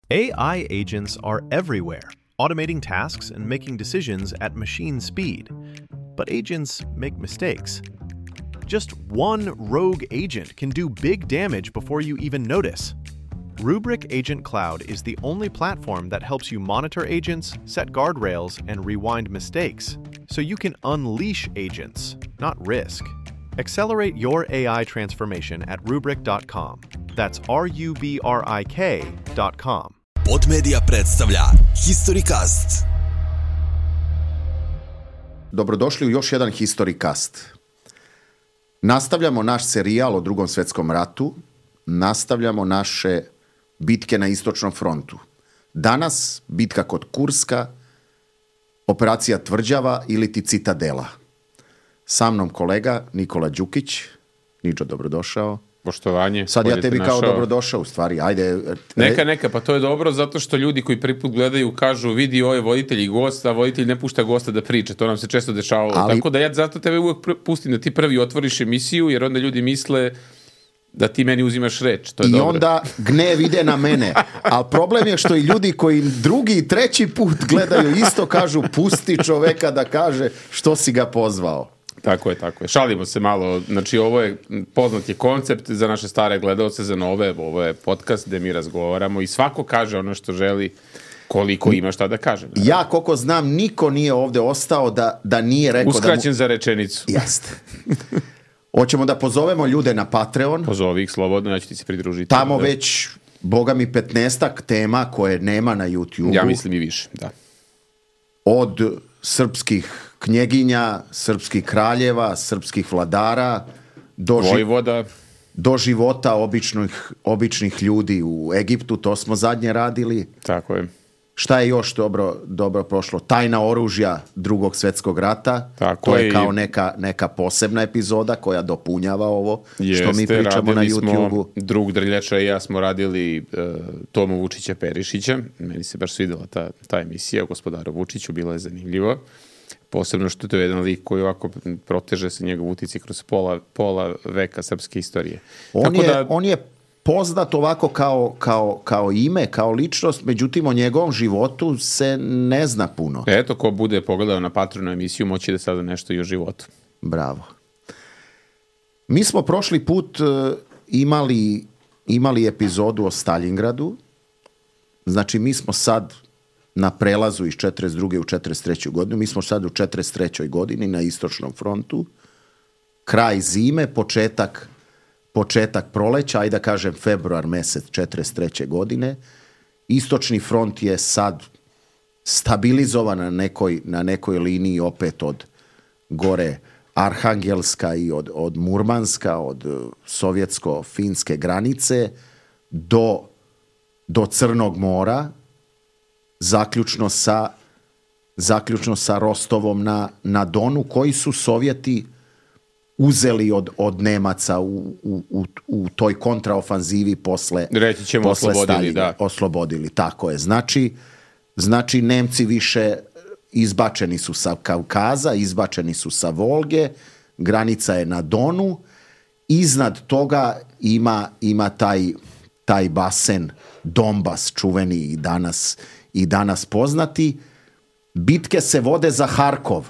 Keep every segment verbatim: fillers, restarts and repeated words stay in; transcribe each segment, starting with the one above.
A I agents are everywhere, automating tasks and making decisions at machine speed. But agents make mistakes. Just one rogue agent can do big damage before you even notice. Rubrik Agent Cloud is the only platform that helps you monitor agents, set guardrails, and rewind mistakes, so you can unleash agents, not risk. Accelerate your A I transformation at rubrik dot com. That's R U B R I K dot com. Podmedia predstavlja HistoryCast. Dobrodošli u još jedan HistoryCast. Nastavljamo naš serijal o Drugom svjetskom ratu, nastavljamo naše bitke na istočnom frontu. Danas bitka kod Kurska, operacija Tvrđava ili ti Citadela. Sa mnom kolega Nikola Đukić. Niđo, dobrodošao. Poštovanje. Sad ja tebi kao dobrodošao u stvari. Ajde. Neka, neka, pa to je dobro zato što ljudi koji prvi put gledaju kažu vidi ovo je voditelj i gost, a voditelj ne pušta gosta da priča. To nam se često dešavalo. Ali... Tako da ja zato tebe uvijek pustim da ti prvi otvoriš emisiju jer onda ljudi misle da ti meni uzimaš reč. To je I dobro. onda gnev ide na mene. Ali problem je što i ljudi koji drugi i treći put gledaju isto kažu pusti čoveka da kaže što si ga pozvao. Tako je, tako je. Šalimo se malo. Znači, ovo je poznat je koncept za naše stare gledaoce, za nove. Ovo je podcast gde mi razgovaramo i svako kaže ono što želi, koliko ima šta da kaže. Naravno. Ja, koliko znam, niko nije ovde ostao da, da nije rekao Uskraćen da mu... za rečenicu. Jeste. Hoćemo da pozovemo ljude na Patreon. Pozovi ih slobodno, ja ću ti se pridružiti. Tamo da. već, boga mi, petnaestak tema koje nema na YouTube. Ja mislim i više, da. Od srpskih knjeginja, srpskih kraljeva, srpskih vladara, do, ži... Vojvoda. do života običnih, običnih ljudi u Egiptu, to smo zadnje radili. Tako je. Šta je još dobro, dobro prošlo? Tajna oružja Drugog svjetskog rata. Tako to je je kao i... neka, neka posebna epizoda koja dopunjava ovo Jeste, što mi pričamo na YouTube-u. Drug Drljača i ja smo radili uh, Tomu Vučića Perišića. Meni se baš svidjela ta, ta emisija o gospodaru Vučiću, bila je zanimljivo. Posebno što to je jedan lik koji ovako proteže se njegov utici kroz pola, pola veka srpske istorije. On, Tako je, da... on je poznat ovako kao, kao, kao ime, kao ličnost, međutim o njegovom životu se ne zna puno. Eto, ko bude pogledao na Patreonu emisiju, moći da sada nešto i o životu. Bravo. Mi smo prošli put uh, imali, imali epizodu o Stalingradu. Znači, mi smo sad na prelazu iz četrdeset druge u četrdeset treću godinu. Mi smo sad u četrdeset trećoj godini na istočnom frontu. Kraj zime, početak, početak proleća, ajde da kažem februar mesec četrdeset treće godine. Istočni front je sad stabilizovan na nekoj, na nekoj liniji opet od gore Arhangelska i od, od Murmanska, od sovjetsko-finske granice do, do Crnog mora, zaključno sa, zaključno sa Rostovom na, na Donu, koji su Sovjeti uzeli od, od Nemaca u, u, u, u toj kontraofanzivi posle, reći ćemo posle oslobodili, Staljina. da. Oslobodili, tako je. Znači, znači Nemci više izbačeni su sa Kavkaza, izbačeni su sa Volge, granica je na Donu, iznad toga ima, ima taj, taj basen Donbas, čuveni i danas, i danas poznati. Bitke se vode za Harkov.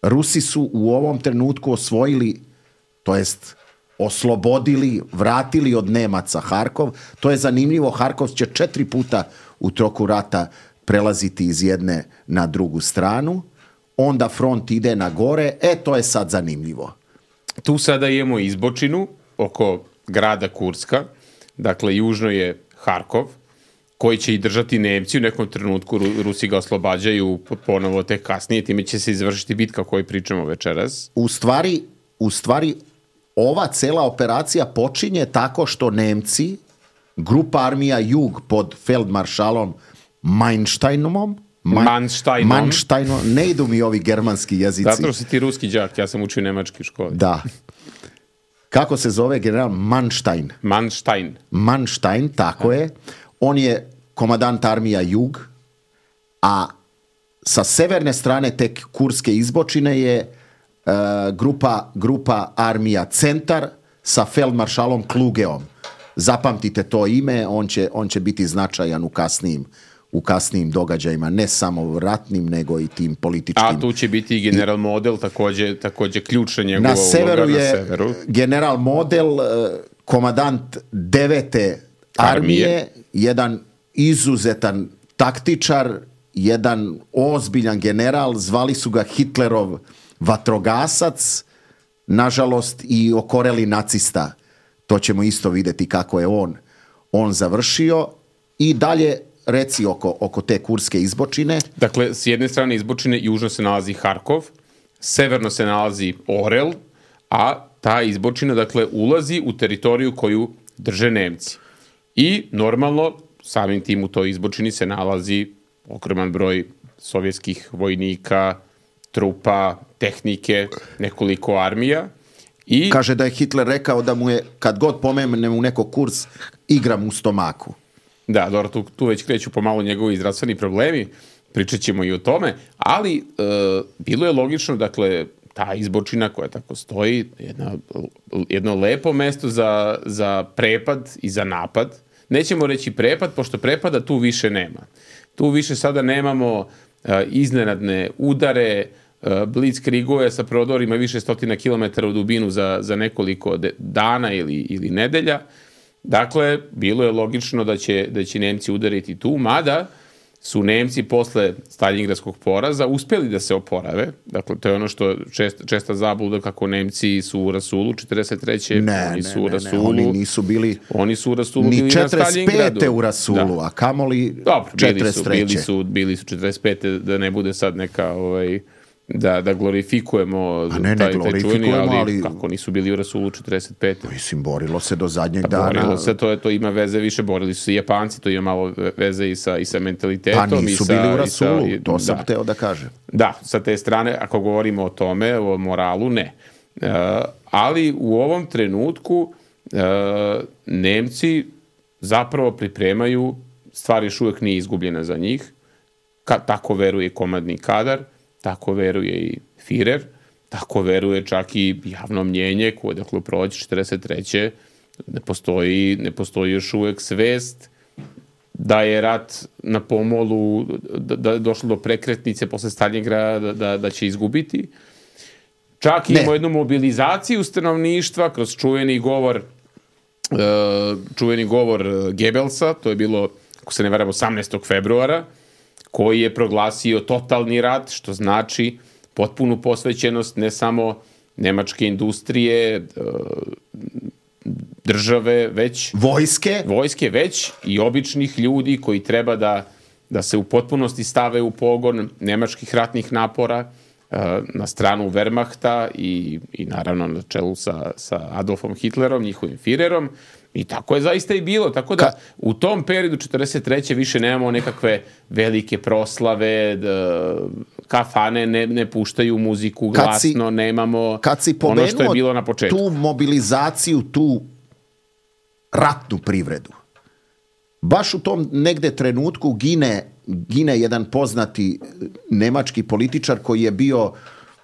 Rusi su u ovom trenutku osvojili, to jest oslobodili, vratili od Nemaca Harkov. To je zanimljivo, Harkov će četiri puta u toku rata prelaziti iz jedne na drugu stranu. Onda front ide na gore. E, to je sad zanimljivo. Tu sada imamo izbočinu oko grada Kurska. Dakle, južno je Harkov, koji će i držati Nemci. U nekom trenutku Rusi ga oslobađaju ponovo tek kasnije. Time će se izvršiti bitka o kojoj pričamo večeras. U stvari, u stvari, ova cela operacija počinje tako što Nemci, grupa armija Jug pod feldmaršalom Mansteinom, Man, Mansteinom. Mansteinom, ne idu mi ovi germanski jezici. Zato što si ti ruski đak, ja sam učio nemački u školi. Da. Kako se zove general? Manstein. Manstein. Manstein, tako je. On je komadant armija Jug, a sa severne strane te kurske izbočine je uh, grupa, grupa armija Centar sa feldmaršalom Klugeom. zapamtite to ime, on će, on će biti značajan u kasnijim, u kasnijim događajima, ne samo ratnim, nego i tim političkim. A tu će biti i general Model, također, također ključna njegova na severu uloga. Je na severu general Model, komandant devete armije, armije, jedan izuzetan taktičar, jedan ozbiljan general, zvali su ga Hitlerov vatrogasac, nažalost i okoreli nacista. To ćemo isto vidjeti kako je on, on završio. I dalje reci oko, oko te kurske izbočine. Dakle, s jedne strane izbočine južno se nalazi Harkov, severno se nalazi Orel, a ta izbočina, dakle, ulazi u teritoriju koju drže Nemci. I normalno, samim tim u toj izbočini se nalazi ogroman broj sovjetskih vojnika, trupa, tehnike, nekoliko armija. I kaže da je Hitler rekao da mu je, kad god pomene mu neko kurs, igram u stomaku. Da, dobro, tu, tu već kreću pomalo njegovi zdravstveni problemi, pričat ćemo i o tome, ali e, bilo je logično, dakle, ta izbočina koja tako stoji, jedna, jedno lepo mesto za, za prepad i za napad. Nećemo reći prepad, pošto prepada tu više nema. Tu više sada nemamo e, iznenadne udare, e, blitzkrigove sa prodorima više stotina kilometara u dubinu za, za nekoliko de, dana ili, ili nedelja. Dakle, bilo je logično da će, da će Nemci udariti tu, mada su Nemci posle Staljingradskog poraza uspjeli da se oporave. Dakle, to je ono što čest, česta zabluda kako Nemci su u rasulu četrdeset treće Ne, oni ne, su u ne, rasulu, ne, oni nisu bili oni su u rasulu ni bili na četrdeset pete Staljingradu. u rasulu, Da. a kamoli Dobro, bili su, četrdeset treće. bili su, bili su četrdeset pete, da ne bude sad neka, ovaj, da, da glorifikujemo A ne, ne taj, taj glorifikujemo, čuveni, ali, ali- kako nisu bili u rasulu četrdeset pete. Mislim, borilo se do zadnjeg Pa dana. borilo se, to, je, to ima veze više, borili su se i Japanci, to ima malo veze i sa, i sa mentalitetom. Pa nisu i sa, bili u i rasulu, sa, i, to sam da. hteo da kažem. Da, sa te strane, ako govorimo o tome, o moralu, ne. E, ali u ovom trenutku e, Nemci zapravo pripremaju, stvar još uvijek nije izgubljena za njih, Ka, tako veruje komandni kadar, tako veruje i Führer, tako veruje čak i javno mnjenje koje, dakle, u proleće četrdeset treće ne postoji, ne postoji još uvijek svest da je rat na pomolu, da, da je došlo do prekretnice posle Staljingrada, da, da, da će izgubiti. Čak Ne. imamo jednu mobilizaciju stanovništva kroz čuveni govor uh, čuveni govor Goebbelsa, to je bilo, ako se ne varam, osamnaestog februara, koji je proglasio totalni rat, što znači potpunu posvećenost ne samo nemačke industrije, države, već Vojske? vojske, već i običnih ljudi koji treba da, da se u potpunosti stave u pogon nemačkih ratnih napora na stranu Wehrmachta i, i naravno na čelu sa, sa Adolfom Hitlerom, njihovim Führerom. I tako je zaista i bilo. Tako da Ka- u tom periodu četrdeset treće više nemamo nekakve velike proslave, da, kafane ne, ne puštaju muziku Kad glasno, si- nemamo Kad si ono što je pomenuo bilo na početku. tu mobilizaciju, tu ratnu privredu, baš u tom negde trenutku gine, gine jedan poznati nemački političar koji je bio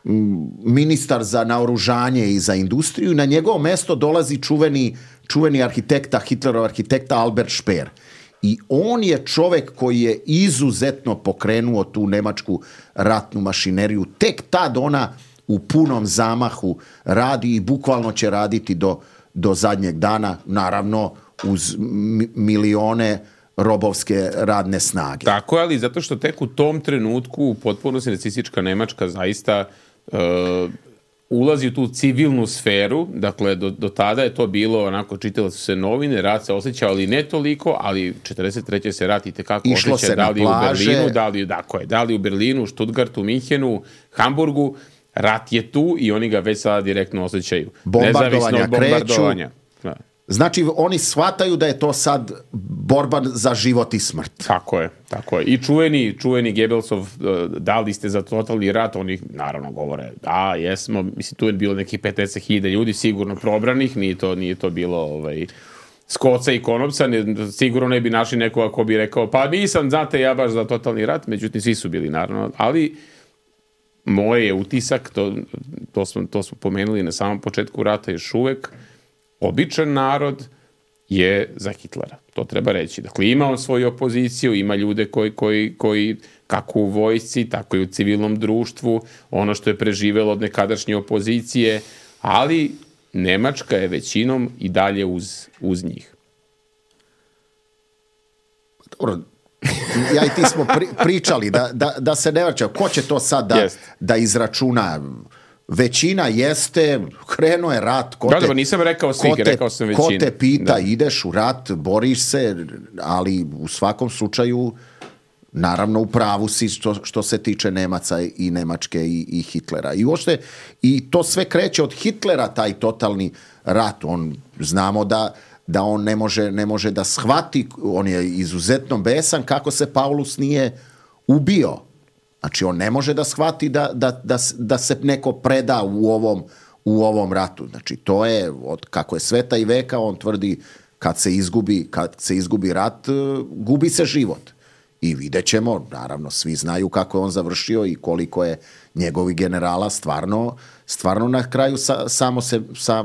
mm, ministar za naoružanje i za industriju i na njegovo mesto dolazi čuveni, čuveni arhitekta, Hitlerov arhitekta Albert Speer. I on je čovek koji je izuzetno pokrenuo tu nemačku ratnu mašineriju. Tek tad ona u punom zamahu radi i bukvalno će raditi do, do zadnjeg dana, naravno uz mi- milione robovske radne snage. Tako je, ali zato što tek u tom trenutku potpuno se nacistička Nemačka zaista uh, ulazi u tu civilnu sferu, dakle do, do tada je to bilo onako, čitale su se novine, rat se osjećao, ali ne toliko, ali četrdeset treće se rat i tekako Išlo osjeća, se da na li u plaže. Berlinu, da li, dakle, da li u Berlinu, Stuttgartu, Minhenu, Hamburgu, rat je tu i oni ga već sada direktno osjećaju. Bombardovanja Nezavisno od bombardovanja. Da. Znači, oni shvataju da je to sad borba za život i smrt. Tako je, tako je. I čuveni, čuveni Goebbelsov, uh, da li ste za totalni rat, oni naravno govore, da, jesmo, mislim, tu je bilo nekih pedeset hiljada ljudi sigurno probranih, nije to, nije to bilo ovaj, skoca i konopca, ne, sigurno ne bi našli nekoga ko bi rekao, pa nisam, znate, ja baš za totalni rat, međutim, svi su bili, naravno, ali moj je utisak, to, to, smo, to smo pomenuli na samom početku rata još uvek, običan narod je za Hitlera. To treba reći. Dakle, ima on svoju opoziciju, ima ljude koji, koji, koji kako u vojsci, tako i u civilnom društvu, ono što je preživelo od nekadašnje opozicije, ali Nemačka je većinom i dalje uz, uz njih. Dobro, ja i ti smo pri, pričali da, da, da se ne vraća. Ko će to sad da, Jest. da izračuna? Većina jeste, krenuo je rat. Ko Da, te, da, nisam rekao svih, ko te, rekao sam većinu. Ko te pita, Da. ideš u rat, boriš se, ali u svakom slučaju, naravno u pravu si što, što se tiče Nemaca i Nemačke i, i Hitlera. I uopšte, i to sve kreće od Hitlera, taj totalni rat. On, znamo da, da on ne može, ne može da shvati, on je izuzetno besan kako se Paulus nije ubio. Znači, on ne može da shvati da, da, da, da se neko preda u ovom, u ovom ratu. Znači, to je, od kako je sveta i veka, on tvrdi kad se izgubi, kad se izgubi rat, gubi se život. I vidjet ćemo, naravno, svi znaju kako je on završio i koliko je njegovi generala stvarno, stvarno na kraju sa, samo se sa,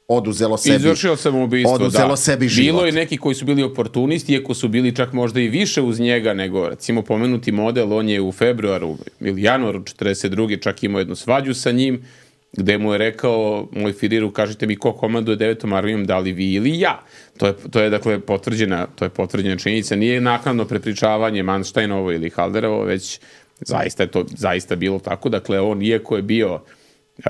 oduzelo sebi, Izvršio samoubistvo, oduzelo da. sebi život. Bilo je neki koji su bili oportunisti, iako su bili čak možda i više uz njega nego, recimo, pomenuti model, on je u februaru ili januaru četrdeset druge čak imao jednu svađu sa njim, gde mu je rekao, moj Firiru, kažite mi ko komanduje devetom armijom, da li vi ili ja. To je, to je dakle, potvrđena, to je potvrđena činjenica. Nije naknadno prepričavanje Manštajnovo ili Halderovo, već zaista je to zaista bilo tako. Dakle, on, iako je bio uh,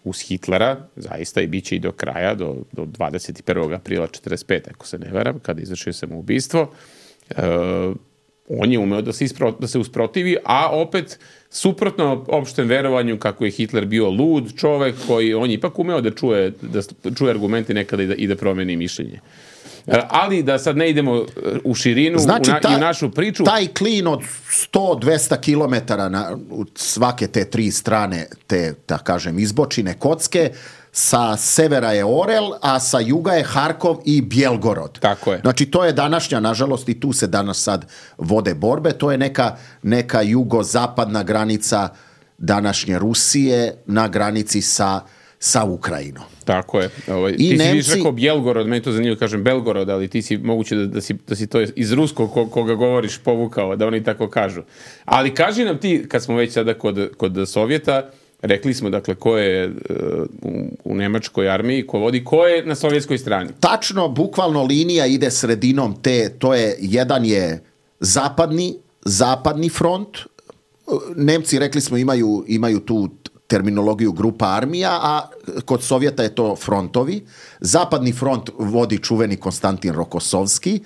uz Hitlera, zaista i bit će i do kraja, do, do dvadeset prvog aprila četrdeset pete ako se ne varam, kada izvršio samoubistvo, uh, on je umeo da se, ispro, da se usprotivi, a opet suprotno opštem verovanju kako je Hitler bio lud čovek koji on je ipak umeo da čuje, da čuje argumente nekada i da, i da promeni mišljenje. Ali da sad ne idemo u širinu, znači, u, na, ta, i u našu priču. Taj klin od sto do dvesta kilometara na u svake te tri strane te, da kažem, izbočine kocke, sa severa je Orel, a sa juga je Harkov i Bjelgorod. Tako je. Znači, to je današnja, nažalost, i tu se danas sad vode borbe, to je neka, neka jugozapadna granica današnje Rusije na granici sa, sa Ukrajinom. Tako je. Ovaj, I ti Nemci... si viš rekao Bjelgorod, meni to zanimljivo, kažem Belgorod, ali ti si moguće da, da, si, da si to iz ruskog ko, koga govoriš povukao, da oni tako kažu. Ali kaži nam ti, kad smo već sada kod, kod Sovjeta, rekli smo, dakle, ko je uh, u, u nemačkoj armiji, ko vodi, ko je na sovjetskoj strani? Tačno, bukvalno linija ide sredinom te, to je, jedan je zapadni, zapadni front. Nemci, rekli smo, imaju, imaju tu terminologiju grupa armija, a kod Sovjeta je to frontovi. Zapadni front vodi čuveni Konstantin Rokosovski,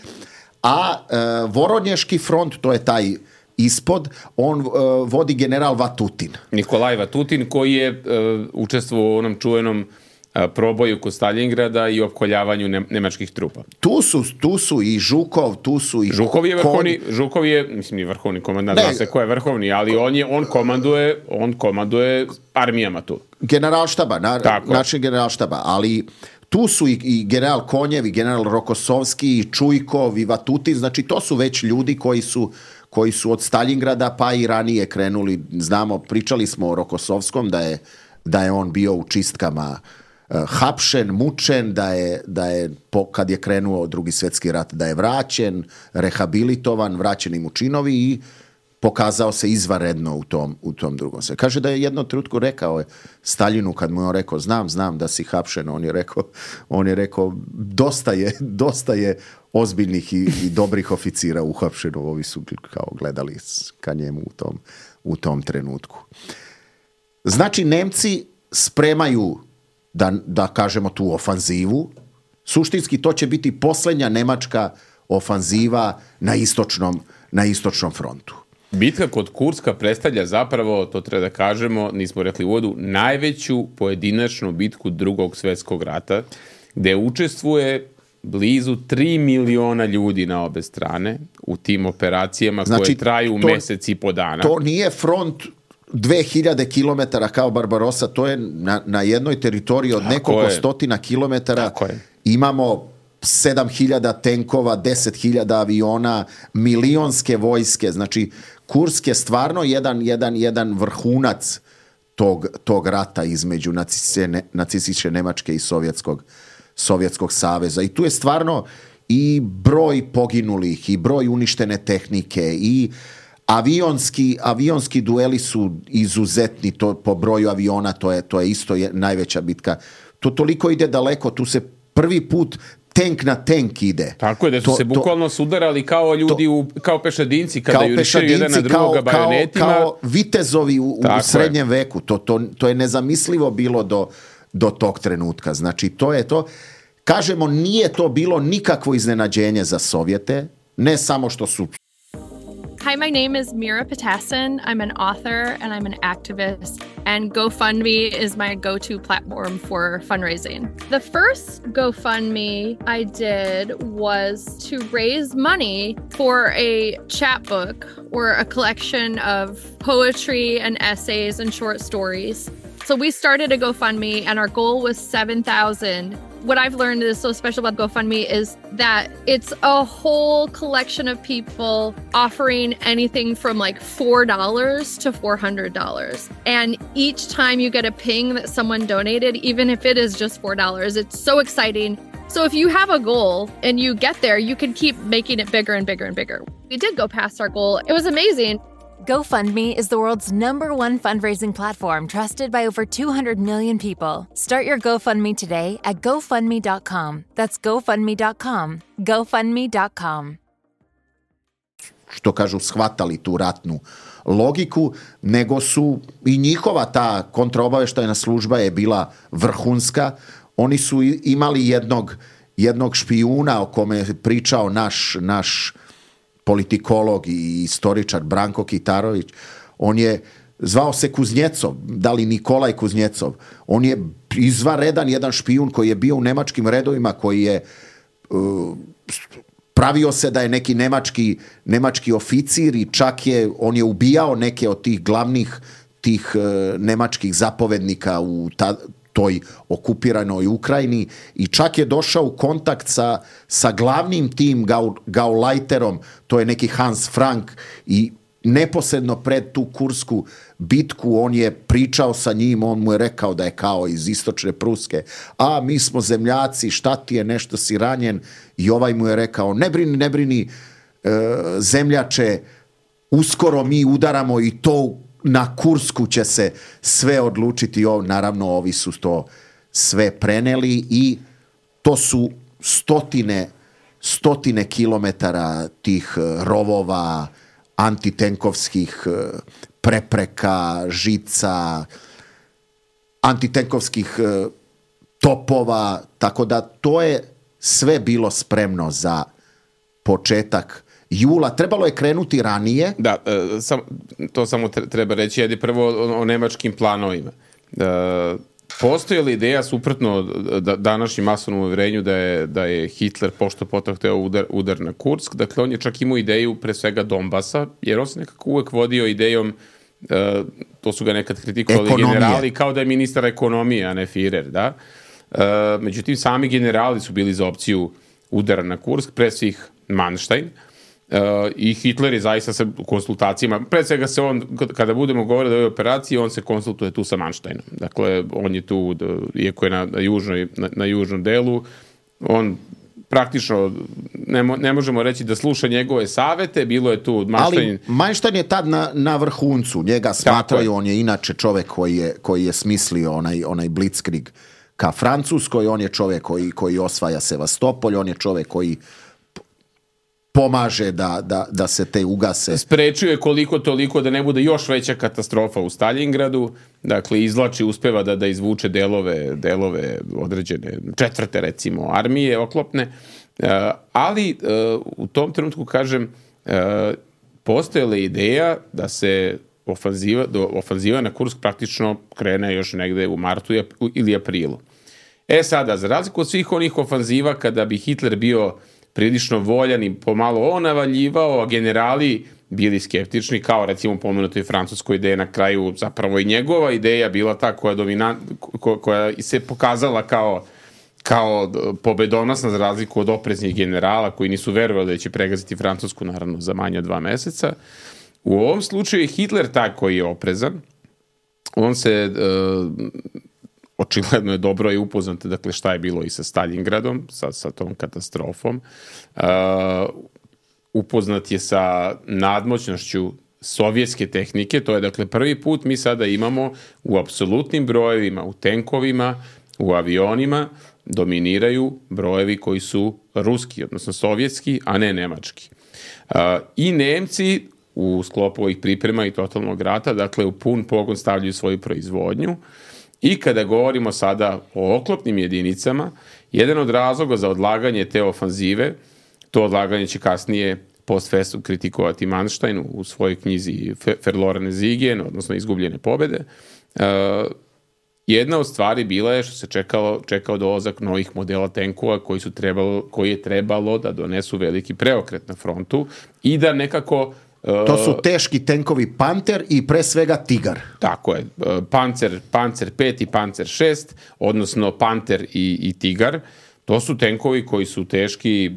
a e, Voronješki front, to je taj ispod, on e, vodi general Vatutin. Nikolaj Vatutin, koji je e, učestvovao u onom čuvenom e, proboju kod Stalingrada i opkoljavanju ne, nemačkih trupa. Tu su, tu su i Žukov, tu su i... Žukov je vrhovni, Žukov je, mislim, nije vrhovni komandant, zna se ko je vrhovni, ali on je, on komanduje, on komanduje armijama tu. Generalštaba, na, način generalštaba, ali tu su i, i general Konjev, i general Rokosovski, i Čujkov, i Vatutin, znači to su već ljudi koji su koji su od Stalingrada pa i ranije krenuli, znamo, pričali smo o Rokosovskom, da je, da je on bio u čistkama uh, hapšen, mučen, da je, da je po, kad je krenuo Drugi svjetski rat, da je vraćen, rehabilitovan, vraćeni mu činovi i pokazao se izvanredno u tom, u tom drugom sve. Kaže da je jednom trenutku rekao je Staljinu, kad mu je on rekao, znam, znam da si hapšen, on je rekao, on je rekao, dosta je, dosta je ozbiljnih i, i dobrih oficira uhapšeno, ovi su kao gledali ka njemu u tom, u tom trenutku. Znači, Nemci spremaju, da, da kažemo, tu ofanzivu. Suštinski to će biti posljednja nemačka ofanziva na istočnom, na istočnom frontu. Bitka kod Kurska predstavlja zapravo, to treba da kažemo, nismo rekli u uvodu, najveću pojedinačnu bitku Drugog svjetskog rata, gde učestvuje blizu tri miliona ljudi na obe strane u tim operacijama, znači, koje traju to, mesec i po dana. To nije front dve hiljade kilometara kao Barbarossa, to je na, na jednoj teritoriji od nekoliko stotina kilometara. Imamo sedam hiljada tenkova, deset hiljada aviona, milionske vojske, znači Kursk je stvarno jedan, jedan, jedan vrhunac tog, tog rata između nacističke, nacističke Nemačke i sovjetskog, Sovjetskog saveza. I tu je stvarno i broj poginulih, i broj uništene tehnike, i avionski, avionski dueli su izuzetni, to, po broju aviona, to je, to je isto je najveća bitka. To toliko ide daleko, tu se prvi put tank na tank ide. Tako je, da su to, se bukvalno to, sudarali kao ljudi, u, kao pešadinci, kada kao jurišaju jedan na drugoga kao, bajonetima. Kao, kao vitezovi u, u srednjem je. veku. To, to, to je nezamislivo bilo do, do tog trenutka. Znači, to je to. Kažemo, nije to bilo nikakvo iznenađenje za Sovjete, ne samo što su... Hi, my name is Mira Patasin. I'm an author and I'm an activist, and GoFundMe is my go-to platform for fundraising. The first GoFundMe I did was to raise money for a chapbook or a collection of poetry and essays and short stories. So we started a GoFundMe and our goal was seven thousand. What I've learned is so special about GoFundMe is that it's a whole collection of people offering anything from like four dollars to four hundred dollars. And each time you get a ping that someone donated, even if it is just four dollars, it's so exciting. So if you have a goal and you get there, you can keep making it bigger and bigger and bigger. We did go past our goal. It was amazing. GoFundMe is the world's number one fundraising platform trusted by over two hundred million people. Start your GoFundMe today at GoFundMe dot com. That's GoFundMe dot com. GoFundMe dot com. Što kažu, shvatali tu ratnu logiku, nego su i njihova ta kontraobaveštajna služba je bila vrhunska. Oni su imali jednog, jednog špijuna o kome je pričao naš, naš politikolog i istoričar Branko Kitarović. On je zvao se Kuznjecov, da li Nikolaj Kuznjecov. On je izvanredan jedan špijun koji je bio u nemačkim redovima, koji je uh, pravio se da je neki nemački, nemački oficir i čak je, on je ubijao neke od tih glavnih tih uh, nemačkih zapovednika u ta, toj okupiranoj Ukrajini i čak je došao u kontakt sa, sa glavnim tim gau, Gauleiterom, to je neki Hans Frank, i neposredno pred tu kursku bitku on je pričao sa njim, on mu je rekao da je kao iz istočne Pruske, a mi smo zemljaci, šta ti je, nešto si ranjen, i ovaj mu je rekao, ne brini, ne brini, e, zemljače, uskoro mi udaramo i to na Kursku će se sve odlučiti. O, naravno, ovi su to sve preneli i to su stotine, stotine kilometara tih rovova, antitenkovskih prepreka, žica, antitenkovskih topova, tako da to je sve bilo spremno za početak jula. Trebalo je krenuti ranije. Da, e, sam, to samo treba reći, ajde prvo o, o nemačkim planovima. E, postoji li ideja suprotno da, današnjem masovnom uvjerenju da je, da je Hitler pošto potom hteo udar, udar na Kursk? Dakle, on je čak imao ideju pre svega Donbasa, jer on se nekako uvek vodio idejom, e, to su ga nekad kritikovali ekonomije. Generali, kao da je ministar ekonomije, a ne Führer, da? E, međutim, sami generali su bili za opciju udara na Kursk, pre svih Manstein. Uh, i Hitler je zaista sa konsultacijama, pre svega se on, kada budemo govorili o ovoj operaciji, on se konsultuje tu sa Mansteinom. Dakle, on je tu, iako je na, na, južnoj, na, na južnom delu, on praktično, ne, mo, ne možemo reći da sluša njegove savete, bilo je tu Manstein... Ali Manstein je tad na, na vrhuncu, njega smatraju, on je inače čovek koji je, koji je smislio onaj, onaj blitzkrieg ka Francuskoj, on je čovek koji, koji osvaja Sevastopolj, on je čovek koji pomaže da, da, da se te ugase. Sprečio je koliko toliko da ne bude još veća katastrofa u Stalingradu, dakle izvlači, uspeva da, da izvuče delove, delove određene četvrte recimo armije oklopne, uh, ali uh, u tom trenutku kažem uh, postojala ideja da se ofanziva, do ofanziva na Kursk praktično krene još negde u martu ili aprilu. E sada, za razliku od svih onih ofanziva kada bi Hitler bio prilično voljan i pomalo on navaljivao, a generali bili skeptični, kao recimo pomenutoj francuskoj ideje na kraju, zapravo i njegova ideja bila ta koja, dominant, ko, koja se pokazala kao, kao pobedonosna za razliku od opreznih generala koji nisu verovali da će pregaziti Francusku, naravno za manje od dva meseca. U ovom slučaju je Hitler taj koji je oprezan. On se uh, očigledno je dobro i upoznate, dakle, šta je bilo i sa Stalingradom, sa, sa tom katastrofom. Uh, upoznat je sa nadmoćnošću sovjetske tehnike, to je, dakle, prvi put mi sada imamo u apsolutnim brojevima, u tenkovima, u avionima, dominiraju brojevi koji su ruski, odnosno sovjetski, a ne nemački. Uh, I Nemci u sklopu ovih priprema i totalnog rata, dakle, u pun pogon stavljaju svoju proizvodnju. I kada govorimo sada o oklopnim jedinicama, jedan od razloga za odlaganje te ofanzive, to odlaganje će kasnije post festum kritikovati Manstein u svojoj knjizi Verlorene Siege, odnosno Izgubljene pobede. Uh, jedna od stvari bila je što se čekalo, čekao dolazak novih modela tenkova koji, su trebalo, koji je trebalo da donesu veliki preokret na frontu i da nekako... To su teški tenkovi Panter i pre svega Tigar. Tako je. Pancer, Pancer pet i Pancer šest, odnosno Panter i, i Tigar. To su tenkovi koji su teški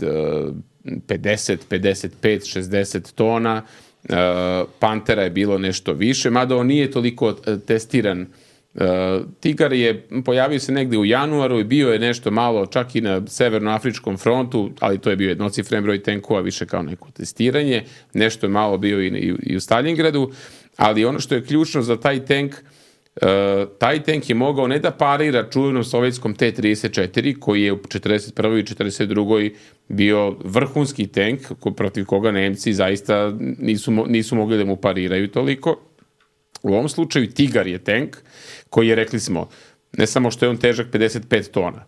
pedeset, pedeset pet, šezdeset tona. Pantera je bilo nešto više, mada on nije toliko testiran. Tigar je pojavio se negde u januaru i bio je nešto malo čak i na severnoafričkom frontu, ali to je bio jednocifren broj tenkova, više kao neko testiranje. Nešto je malo bio i, i u Stalingradu, ali ono što je ključno za taj tank, uh, taj tank je mogao ne da parira čuvenom sovjetskom T trideset četiri, koji je u četrdeset prvoj i četrdeset drugoj bio vrhunski tank, protiv koga Nemci zaista nisu, nisu mogli da mu pariraju toliko. U ovom slučaju Tigar je tank koji je, rekli smo, ne samo što je on težak pedeset pet tona.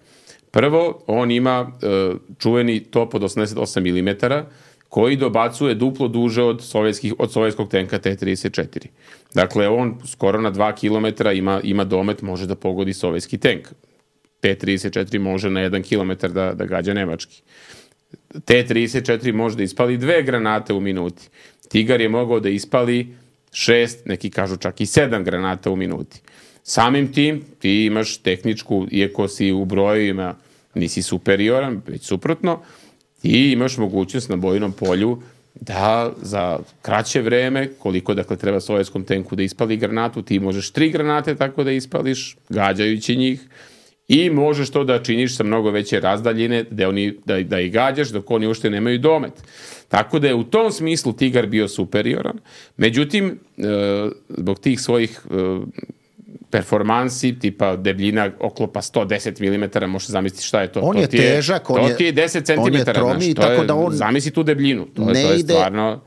Prvo, on ima uh, čuveni top od osamdeset osam milimetara koji dobacuje duplo duže od, sovjetskih, od sovjetskog tenka T trideset četiri. Dakle, on skoro na dva kilometra ima, ima domet, može da pogodi sovjetski tank. T trideset četiri može na jedan kilometar da, da gađa nemački. T trideset četiri može da ispali dve granate u minuti. Tigar je mogao da ispali šest, neki kažu čak i sedam granata u minuti. Samim tim ti imaš tehničku, iako si u brojevima nisi superioran, već suprotno, ti imaš mogućnost na bojnom polju da za kraće vreme, koliko dakle treba sovjetskom tenku da ispali granatu, ti možeš tri granate tako da ispališ, gađajući njih, i možeš to da činiš sa mnogo veće razdaljine, da, oni, da, da ih gađaš dok oni uopšte nemaju domet. Tako da je u tom smislu Tigar bio superioran. Međutim, e, zbog tih svojih e, performansi, tipa debljina oklopa sto deset milimetara, možeš zamisliti šta je to. On to je ti je težak, on je, to ti je deset centimetara. On je tromi, znaš, tako je, da on zamisli tu debljinu. To, ne to je ide, stvarno...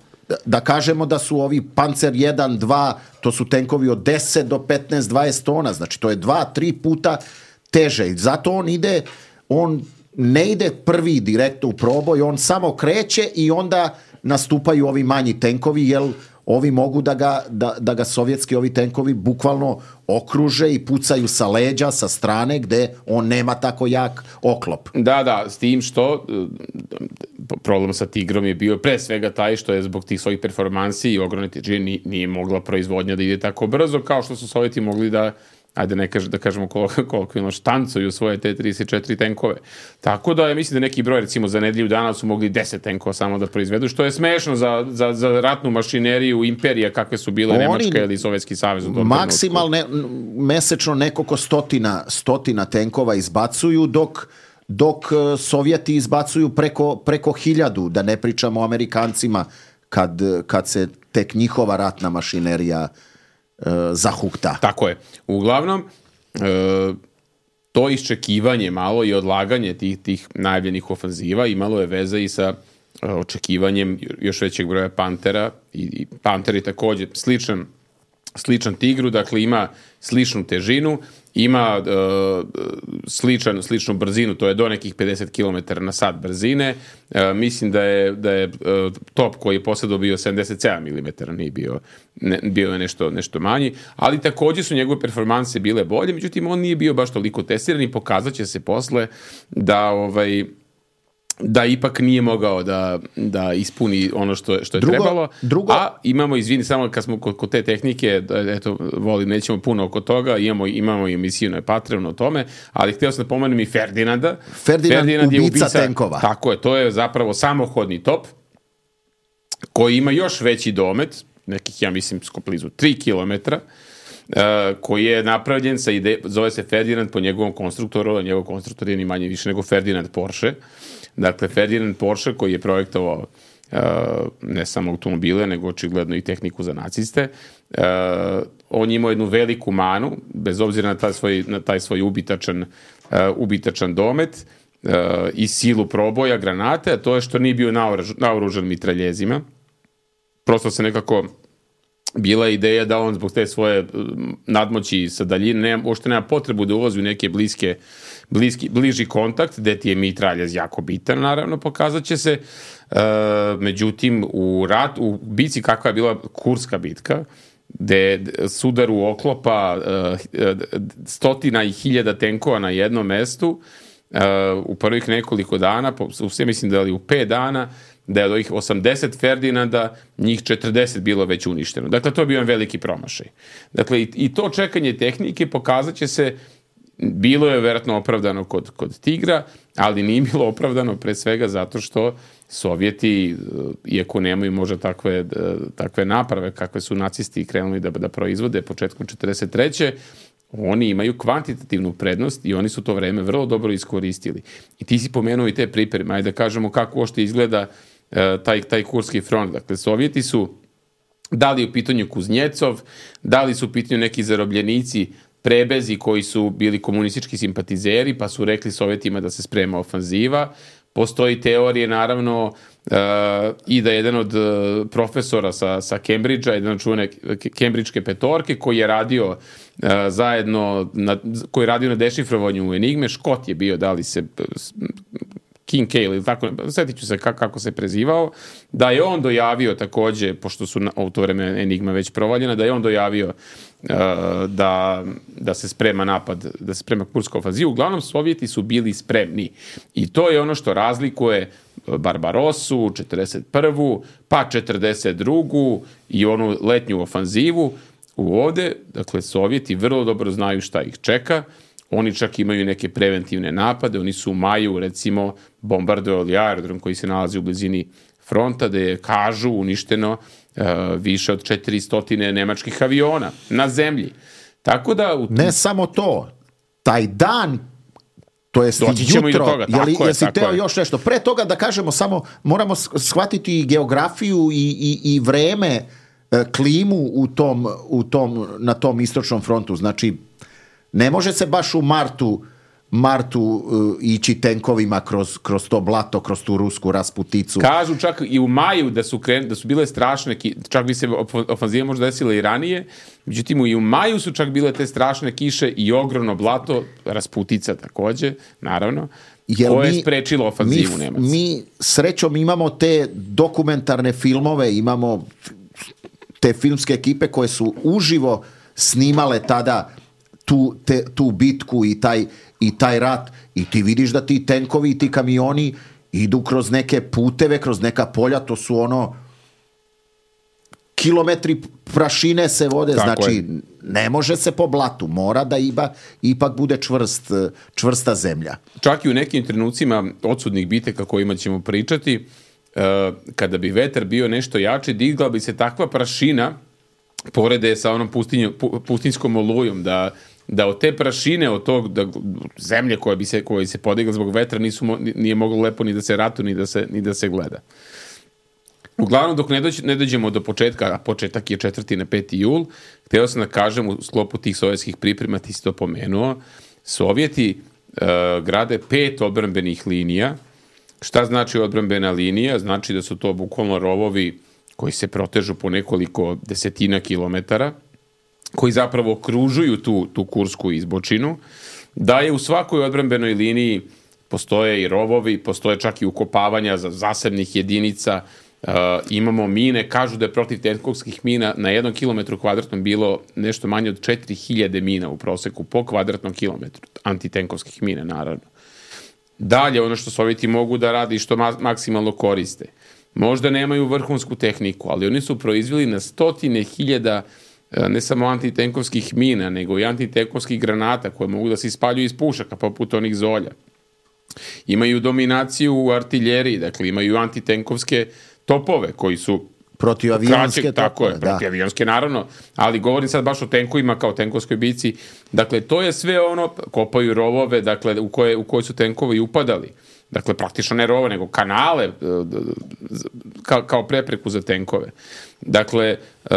Da kažemo da su ovi Pancer jedan, dva, to su tenkovi od deset do petnaest, dvadeset tona, znači to je dva, tri puta teže. I zato on ide, on ne ide prvi direktno u proboj, on samo kreće i onda nastupaju ovi manji tenkovi, jer ovi mogu da ga, da, da ga sovjetski ovi tenkovi bukvalno okruže i pucaju sa leđa, sa strane, gde on nema tako jak oklop. Da, da, s tim što problem sa Tigrom je bio pre svega taj što je zbog tih svojih performansi i ogromne težine nije mogla proizvodnja da ide tako brzo, kao što su Sovjeti mogli da, ajde ne kaž, da kažemo kolokvijalno, štancuju svoje T trideset četiri tenkove. Tako da ja mislim da neki broj, recimo za nedelju dana su mogli deset tenkova samo da proizvedu, što je smešno za, za, za ratnu mašineriju imperija kakve su bile Oni Nemačka ili Sovjetski savez. Maksimalno mesečno nekoliko stotina, stotina tenkova izbacuju, dok, dok Sovjeti izbacuju preko, preko hiljadu, da ne pričamo o Amerikancima kad, kad se tek njihova ratna mašinerija zahukta. Tako je. Uglavnom, e, to iščekivanje malo i odlaganje tih, tih najavljenih ofanziva imalo je veze i sa e, očekivanjem još većeg broja Pantera. I, i Panter je također sličan, sličan Tigru, dakle ima sličnu težinu, ima e, sličan, sličnu brzinu, to je do nekih pedeset kilometara na sat brzine. E, mislim da je, da je e, top koji je posledao bio sedamdeset sedam milimetara, nije bio, ne, bio je nešto, nešto manji, ali također su njegove performanse bile bolje, međutim on nije bio baš toliko testiran i pokazat će se posle da ovaj da ipak nije mogao da, da ispuni ono što je, što je drugo, trebalo. Drugo... A imamo, izvini, samo kad smo kod, kod te tehnike, eto, volim, nećemo puno oko toga, imamo, imamo i emisiju na Patreonu o tome, ali htio sam da pomenem i Ferdinanda. Ferdinand, Ferdinand ubica, je ubica tenkova. Tako je, to je zapravo samohodni top, koji ima još veći domet, nekih, ja mislim, blizu tri kilometra, koji je napravljen sa ide, zove se Ferdinand po njegovom konstruktoru, a njegov konstruktor je ni manje više nego Ferdinand Porsche. Dakle, Ferdinand Porsche koji je projektovao uh, ne samo automobile, nego očigledno i tehniku za naciste. Uh, on je imao jednu veliku manu, bez obzira na taj svoj, na taj svoj ubitačan, uh, ubitačan domet uh, i silu proboja granate, a to je što nije bio naoružan mitraljezima. Prosto se nekako bila ideja da on zbog te svoje nadmoći sa daljine nema, uopšte nema potrebu da ulazi u neke bliske, bliski, bliži kontakt, gde ti je mitraljez jako bitan, naravno, pokazat će se. E, međutim, u, rat, u bici kakva je bila Kurska bitka, gde sudaru oklopa e, stotina i hiljada tenkova na jednom mestu, e, u prvih nekoliko dana, u sve mislim da li u pet dana, da je od ovih osamdeset Ferdinanda, njih četrdeset bilo već uništeno. Dakle, to je bio jedan veliki promašaj. Dakle, i, i to čekanje tehnike pokazat će se, bilo je vjerojatno opravdano kod, kod Tigra, ali nije bilo opravdano pre svega zato što Sovjeti, iako nemaju možda takve, takve naprave kakve su nacisti krenuli da, da proizvode početkom četrdeset treće oni imaju kvantitativnu prednost i oni su to vreme vrlo dobro iskoristili. I ti si pomenuo i te pripreme, ajde da kažemo kako ošte izgleda uh, taj, taj Kurski front. Dakle, Sovjeti su dali u pitanju Kuznjecov, dali su u pitanju neki zarobljenici prebezi koji su bili komunistički simpatizeri, pa su rekli Sovjetima da se sprema ofanziva. Postoji teorije, naravno, uh, i da jedan od uh, profesora sa, sa Cambridgea, jedan od čuvene Cambridgeke petorke, koji je radio uh, zajedno, na, koji je radio na dešifrovanju Enigme, Škot je bio, da li se King Cale ili tako, sjetit ću se kako, kako se prezivao, da je on dojavio takođe, pošto su na, u to vreme Enigma već provaljena, da je on dojavio uh, da, da se sprema napad, da se sprema Kurska ofanziva. Uglavnom, Sovjeti su bili spremni. I to je ono što razlikuje Barbarosu, četrdeset prvu pa četrdeset drugu i onu letnju ofanzivu. U ovde, dakle, Sovjeti vrlo dobro znaju šta ih čeka. Oni čak imaju neke preventivne napade. Oni su u maju, recimo, bombardovali aerodrom koji se nalazi u blizini fronta, gde je, kažu, uništeno uh, više od četiristo nemačkih aviona na zemlji. Tako da... U... Ne samo to. Taj dan, to jest jutro, i do toga. Jeli, tako je, jesi tako teo je. još nešto? Pre toga da kažemo samo, moramo shvatiti geografiju i, i, i vreme, klimu u tom, u tom, na tom istočnom frontu. Znači, ne može se baš u martu, martu uh, ići tenkovima kroz, kroz to blato, kroz tu rusku rasputicu. Kažu čak i u maju da su, kren, da su bile strašne, čak bi se ofanziva možda desila i ranije, međutim i u maju su čak bile te strašne kiše i ogromno blato, rasputica takođe, naravno, Jel koje mi, je sprečilo ofanzivu mi, Nemaca. Mi srećom imamo te dokumentarne filmove, imamo te filmske ekipe koje su uživo snimale tada tu, te, tu bitku i taj, i taj rat i ti vidiš da ti tenkovi i ti kamioni idu kroz neke puteve, kroz neka polja, to su ono kilometri prašine se vode, tako znači je. Ne može se po blatu, mora da iba, ipak bude čvrst, čvrsta zemlja. Čak i u nekim trenucima odsudnih bitaka kojima ćemo pričati, kada bi vetar bio nešto jači, digla bi se takva prašina porede sa onom pustinjom, pustinskom olujom, da, da od te prašine, od tog da, zemlje koja bi se, koja se podigla zbog vetra, nisu, nije moglo lepo ni da se ratu, ni da se, ni da se gleda. Uglavnom, dok ne, dođe, ne dođemo do početka, a početak je četvrti na peti jul, htio sam da kažem u sklopu tih sovjetskih priprema, ti si to pomenuo, Sovjeti uh, grade pet odbrambenih linija. Šta znači odbrambena linija? Znači da su to bukvalno rovovi koji se protežu po nekoliko desetina kilometara, koji zapravo okružuju tu, tu kursku izbočinu, da je u svakoj odbrambenoj liniji postoje i rovovi, postoje čak i ukopavanja za zasebnih jedinica, uh, imamo mine, kažu da je protiv tenkovskih mina na jednom kilometru kvadratnom bilo nešto manje od četiri hiljade mina u proseku po kvadratnom kilometru, antitenkovskih mina naravno. Dalje, ono što Sovjeti mogu da radi i što ma- maksimalno koriste. Možda nemaju vrhunsku tehniku, ali oni su proizveli na stotine hiljada ne samo antitenkovskih mina, nego i antitenkovskih granata koje mogu da se ispaljuju iz pušaka, poput onih Zolja. Imaju dominaciju u artiljeriji, dakle imaju antitenkovske topove koji su Protivavionske, kraće, tako je, protivavionske naravno, ali govorim sad baš o tenkovima kao tenkovskoj bici. Dakle, to je sve ono, kopaju rovove, dakle, u koje, u koje su tenkovi upadali. Dakle, praktično ne rove, nego kanale kao, kao prepreku za tenkove. Dakle, uh,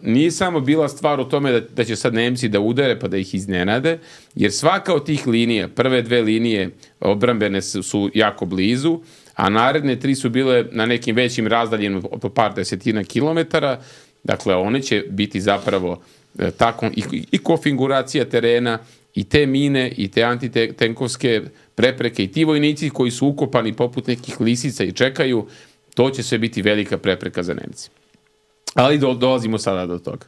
nije samo bila stvar u tome da, da će sad Nemci da udare pa da ih iznenade, jer svaka od tih linija, prve dve linije odbrambene su, su jako blizu, a naredne tri su bile na nekim većim razdaljima po par desetina kilometara. Dakle, one će biti zapravo e, tako, i, i konfiguracija terena, i te mine, i te antitenkovske prepreke, i ti vojnici koji su ukopani poput nekih lisica i čekaju, to će sve biti velika prepreka za Nemci. Ali do, dolazimo sada do toga.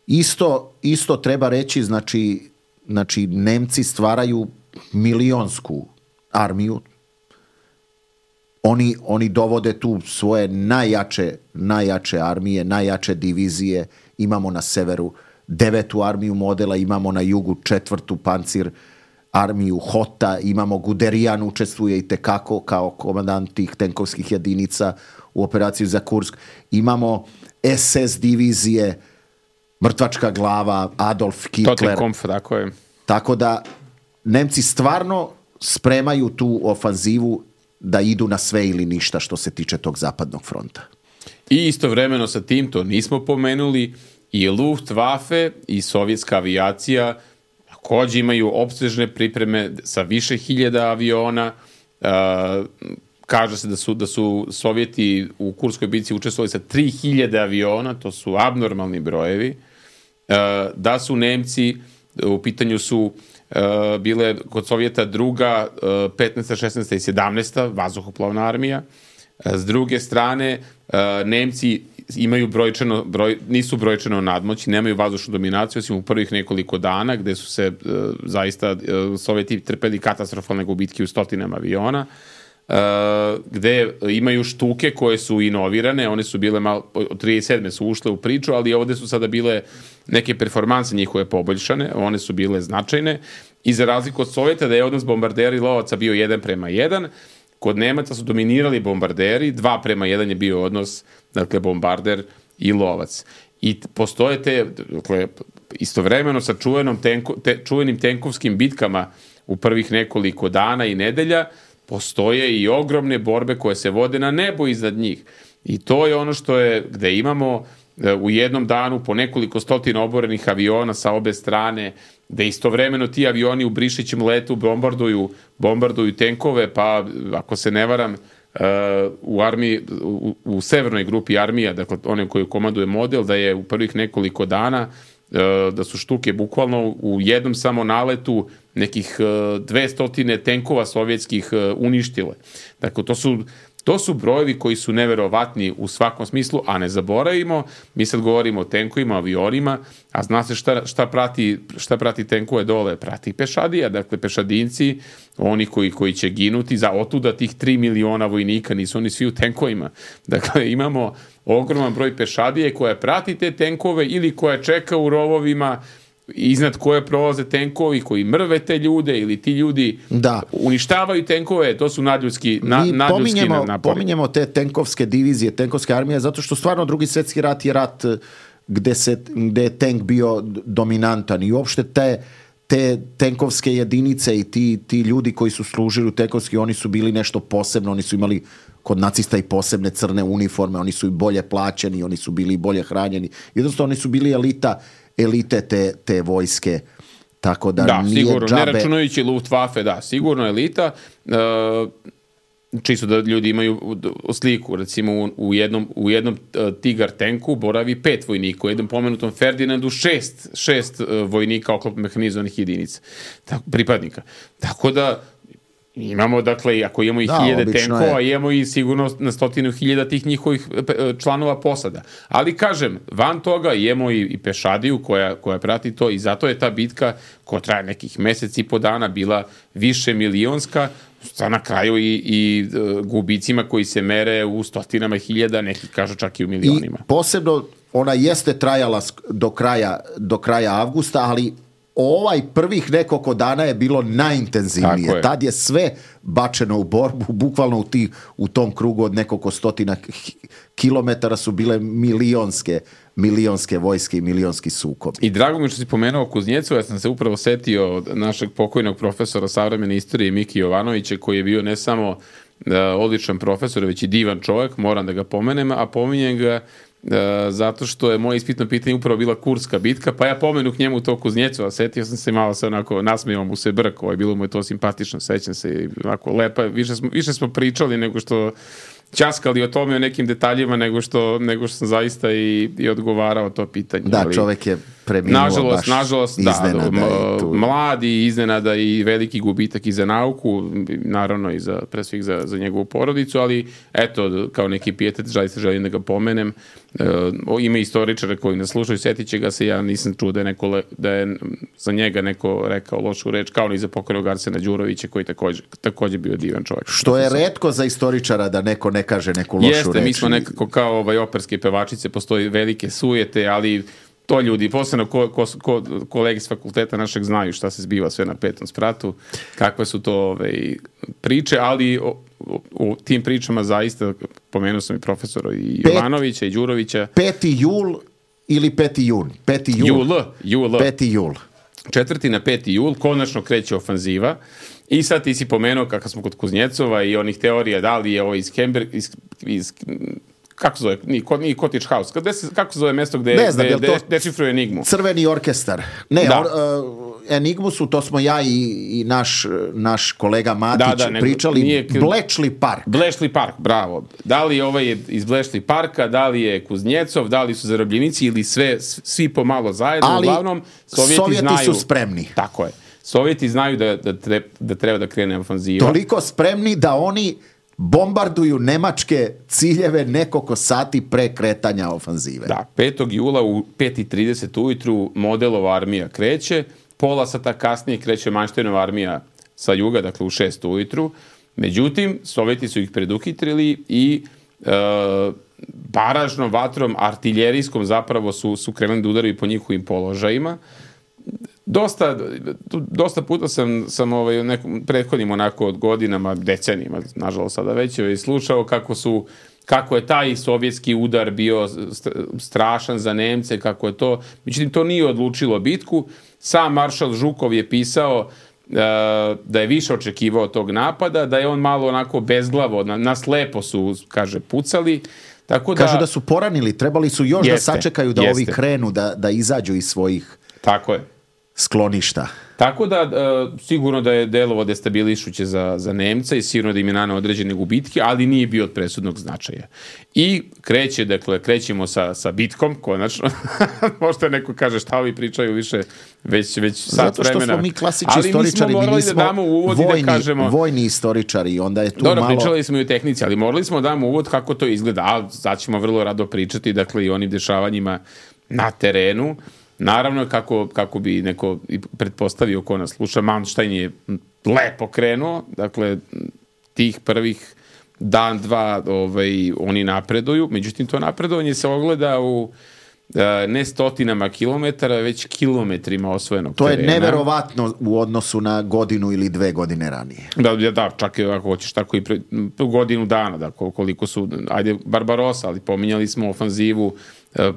Isto, isto treba reći, znači, znači Nemci stvaraju milionsku armiju. Oni, oni dovode tu svoje najjače, najjače armije, najjače divizije. Imamo na severu devetu armiju modela, imamo na jugu četvrtu pancir armiju Hota, imamo Guderian učestvuje i tekako kao komandant tih tenkovskih jedinica u operaciji za Kursk. Imamo es es divizije, mrtvačka glava, Adolf Hitler. Totenkampf, tako je. Tako da Nemci stvarno spremaju tu ofanzivu da idu na sve ili ništa što se tiče tog zapadnog fronta. I istovremeno sa tim, to nismo pomenuli, i Luftwaffe i sovjetska avijacija također imaju opsežne pripreme sa više hiljada aviona. Uh, kaže se da su, da su Sovjeti u Kurskoj bici učestvovali sa tri hiljade aviona, to su abnormalni brojevi. Uh, da su Nemci, u pitanju su Uh, bile kod Sovjeta druga, uh, petnaesta, šesnaesta i sedamnaesta vazduhoplovna armija. Uh, s druge strane, uh, Nemci imaju brojčano, broj, nisu brojčano nadmoći, nemaju vazdušnu dominaciju, osim u prvih nekoliko dana, gde su se uh, zaista uh, Sovjeti trpeli katastrofalne gubitke u stotinama aviona, uh, gde imaju štuke koje su inovirane, one su bile malo, od trideset sedme su ušle u priču, ali ovde su sada bile neke performanse njihove poboljšane, one su bile značajne, i za razliku od Sovjeta da je odnos bombardera i lovaca bio jedan prema jedan, kod Nemaca su dominirali bombarderi, dva prema jedan je bio odnos, dakle, bombarder i lovac. I postoje te, dakle, istovremeno sa čuvenom tenko, te, čuvenim tenkovskim bitkama u prvih nekoliko dana i nedelja, postoje i ogromne borbe koje se vode na nebo iznad njih. I to je ono što je, gde imamo u jednom danu po nekoliko stotina oborenih aviona sa obe strane, da istovremeno ti avioni u Brišićem letu bombarduju, bombarduju tenkove, pa ako se ne varam, uh, u armiji, u, u severnoj grupi armija, dakle one koju komanduje model, da je u prvih nekoliko dana uh, da su štuke bukvalno u jednom samo naletu nekih uh, dvesta tenkova sovjetskih uh, uništile. Dakle, to su To su brojevi koji su neverovatni u svakom smislu, a ne zaboravimo, mi sad govorimo o tenkovima, avionima, a zna se šta, šta, prati, šta prati tenkove dole, prati pešadija, dakle pešadinci, oni koji, koji će ginuti, za otuda tih tri miliona vojnika, nisu oni svi u tenkovima. Dakle, imamo ogroman broj pešadije koja prati te tenkove ili koja čeka u rovovima, iznad koje prolaze tenkovi koji mrve te ljude ili ti ljudi da uništavaju tenkove, to su nadljudski, na, nadljudski pominjemo, napori. Pominjemo te tenkovske divizije, tenkovske armije, zato što stvarno drugi svjetski rat je rat gde, se, gde je tank bio dominantan i uopšte te, te tenkovske jedinice i ti, ti ljudi koji su služili u tenkovski, oni su bili nešto posebno, oni su imali kod nacista i posebne crne uniforme, oni su i bolje plaćeni, oni su bili bolje hranjeni, jednostavno oni su bili elita elite te, te vojske, tako da, da nije sigurno, džabe. Ne računajući Luftwaffe, da, sigurno elita, uh, čisto da ljudi imaju sliku, recimo u, u jednom, u jednom uh, Tigar tenku boravi pet vojnika, u jednom pomenutom Ferdinandu šest, šest uh, vojnika oklopno mehanizovanih jedinica, tako, pripadnika. Tako da imamo, dakle, ako imamo i da, hiljade tenkova, je. Imamo i sigurno na stotinu hiljada tih njihovih članova posada. Ali, kažem, van toga imamo i, i pešadiju koja, koja prati to i zato je ta bitka, koja traje nekih meseci i po dana, bila više milionska, sa na kraju i, i uh, gubicima koji se mere u stotinama hiljada, neki kažu čak i u milionima. I posebno, ona jeste trajala do kraja, do kraja avgusta, ali ovaj prvih nekoliko dana je bilo najintenzivnije. Tako je. Tad je sve bačeno u borbu, bukvalno u, ti, u tom krugu od nekoliko stotina kilometara su bile milionske, milionske vojske i milionski sukobi. I drago mi što si pomenuo Kuznjecu, ja sam se upravo setio od našeg pokojnog profesora savremene istorije Miki Jovanovića, koji je bio ne samo uh, odličan profesor, već i divan čovjek, moram da ga pomenem, a pominjem ga Uh, zato što je moje ispitno pitanje upravo bila Kurska bitka, pa ja pomenu k njemu to Kuznjecu, a setio sam se malo se onako, nasmijao mu se brk, ovo je bilo mu je to simpatično, sećam se i onako lepa, više smo, više smo pričali nego što ćaskali o tome, o nekim detaljima, nego što, nego što sam zaista i, i odgovarao to pitanje. Da, ali, čovjek je preminuo nažalost, baš nažalost, da, da, mladi, iznenada i veliki gubitak i za nauku, naravno i za, pre svih za, za njegovu porodicu, ali eto, kao neki pijetet, zaista želim da ga pomenem. E, ima istoričara koji nas slušaju, setit će ga se, ja nisam čuo da je, neko, da je za njega neko rekao lošu reč, kao ni za pokojnog Arsena Đurovića, koji također, također bio divan čovjek. Što je retko za istoričara da neko ne kaže neku lošu Jeste, reč. Jeste, mi smo nekako kao ovaj, operske pevačice, postoji velike sujete, ali to ljudi, posebno ko, ko, ko, kolegi s fakulteta našeg znaju šta se zbiva sve na petom spratu, kakve su to ovaj, priče, ali o, o, o tim pričama zaista, pomenuo sam i profesora i Pet, Jovanovića i Đurovića. Peti jul ili peti jun? Peti jul. Jul, jul. Peti jul. Četvrti na peti jul, konačno kreće ofanziva. I sad ti si pomenuo kako smo kod Kuznjecova i onih teorija da li je ovo iz Kember, iz, iz kako se zove, nije, nije Cottage House, Kde se, kako se zove mesto gde, ne znam, gde, gde to dešifruje Enigmu? Crveni orkestar. Ne, da. or, uh, Enigmu su, to smo ja i, i naš, naš kolega Matić da, da, nego, pričali, nije, Bletchley Park. Bletchley Park, bravo. Da li ovaj je iz Bletchley Parka, da li je Kuznjecov, da li su zarobljenici ili sve, svi pomalo zajedno, ali uglavnom Sovjeti, Sovjeti znaju, su spremni. Tako je. Sovjeti znaju da, da, treba, da treba da krene ofanziva. Toliko spremni da oni bombarduju nemačke ciljeve nekoliko sati pre kretanja ofanzive. Da, petog jula u pet i trideset ujutru Modelova armija kreće, pola sata kasnije kreće Manštejnova armija sa juga, dakle u šest ujutru. Međutim, Sovjeti su ih preduhitrili i e, baražnom vatrom, artiljerijskom zapravo su, su krenuli da udaraju po njihovim položajima. Dosta, dosta puta sam, sam ovaj, u nekom prethodnim onako od godinama, decenijima, nažalost sada već, ovaj, slušao kako su kako je taj sovjetski udar bio strašan za Nemce, kako je to, međutim to nije odlučilo bitku. Sam maršal Žukov je pisao uh, da je više očekivao tog napada, da je on malo onako bezglavo, na, na slepo su, kaže, pucali. Tako da, kažu da su poranili, trebali su još jeste, da sačekaju da jeste. ovi krenu, da, da izađu iz svojih tako je. skloništa. Tako da, uh, sigurno da je delovo destabilišuće za, za Nemca i sigurno da im je naneo određene gubitke, ali nije bio od presudnog značaja. I kreće, dakle, krećemo sa, sa bitkom, konačno. Možda neko kaže šta vi pričaju više već, već sat vremena. Zato što smo mi klasični ali istoričari, mi, mi nismo da damo uvod vojni, da kažemo, vojni istoričari, onda je tu dobro, malo... pričali smo i o tehnici, ali morali smo da damo uvod kako to izgleda, a sad ćemo vrlo rado pričati, dakle, i onim dešavanjima na terenu. Naravno, kako, kako bi neko pretpostavio ko nas sluša, Manštajn je lepo krenuo, dakle, tih prvih dan, dva, ovaj, oni napreduju, međutim, to napredovanje se ogleda u ne stotinama kilometara, već kilometrima osvojenog to terena. To je neverovatno u odnosu na godinu ili dve godine ranije. Da, da, čak i ako hoćeš tako i pre, godinu dana, da, koliko su, ajde, Barbarossa, ali pominjali smo ofanzivu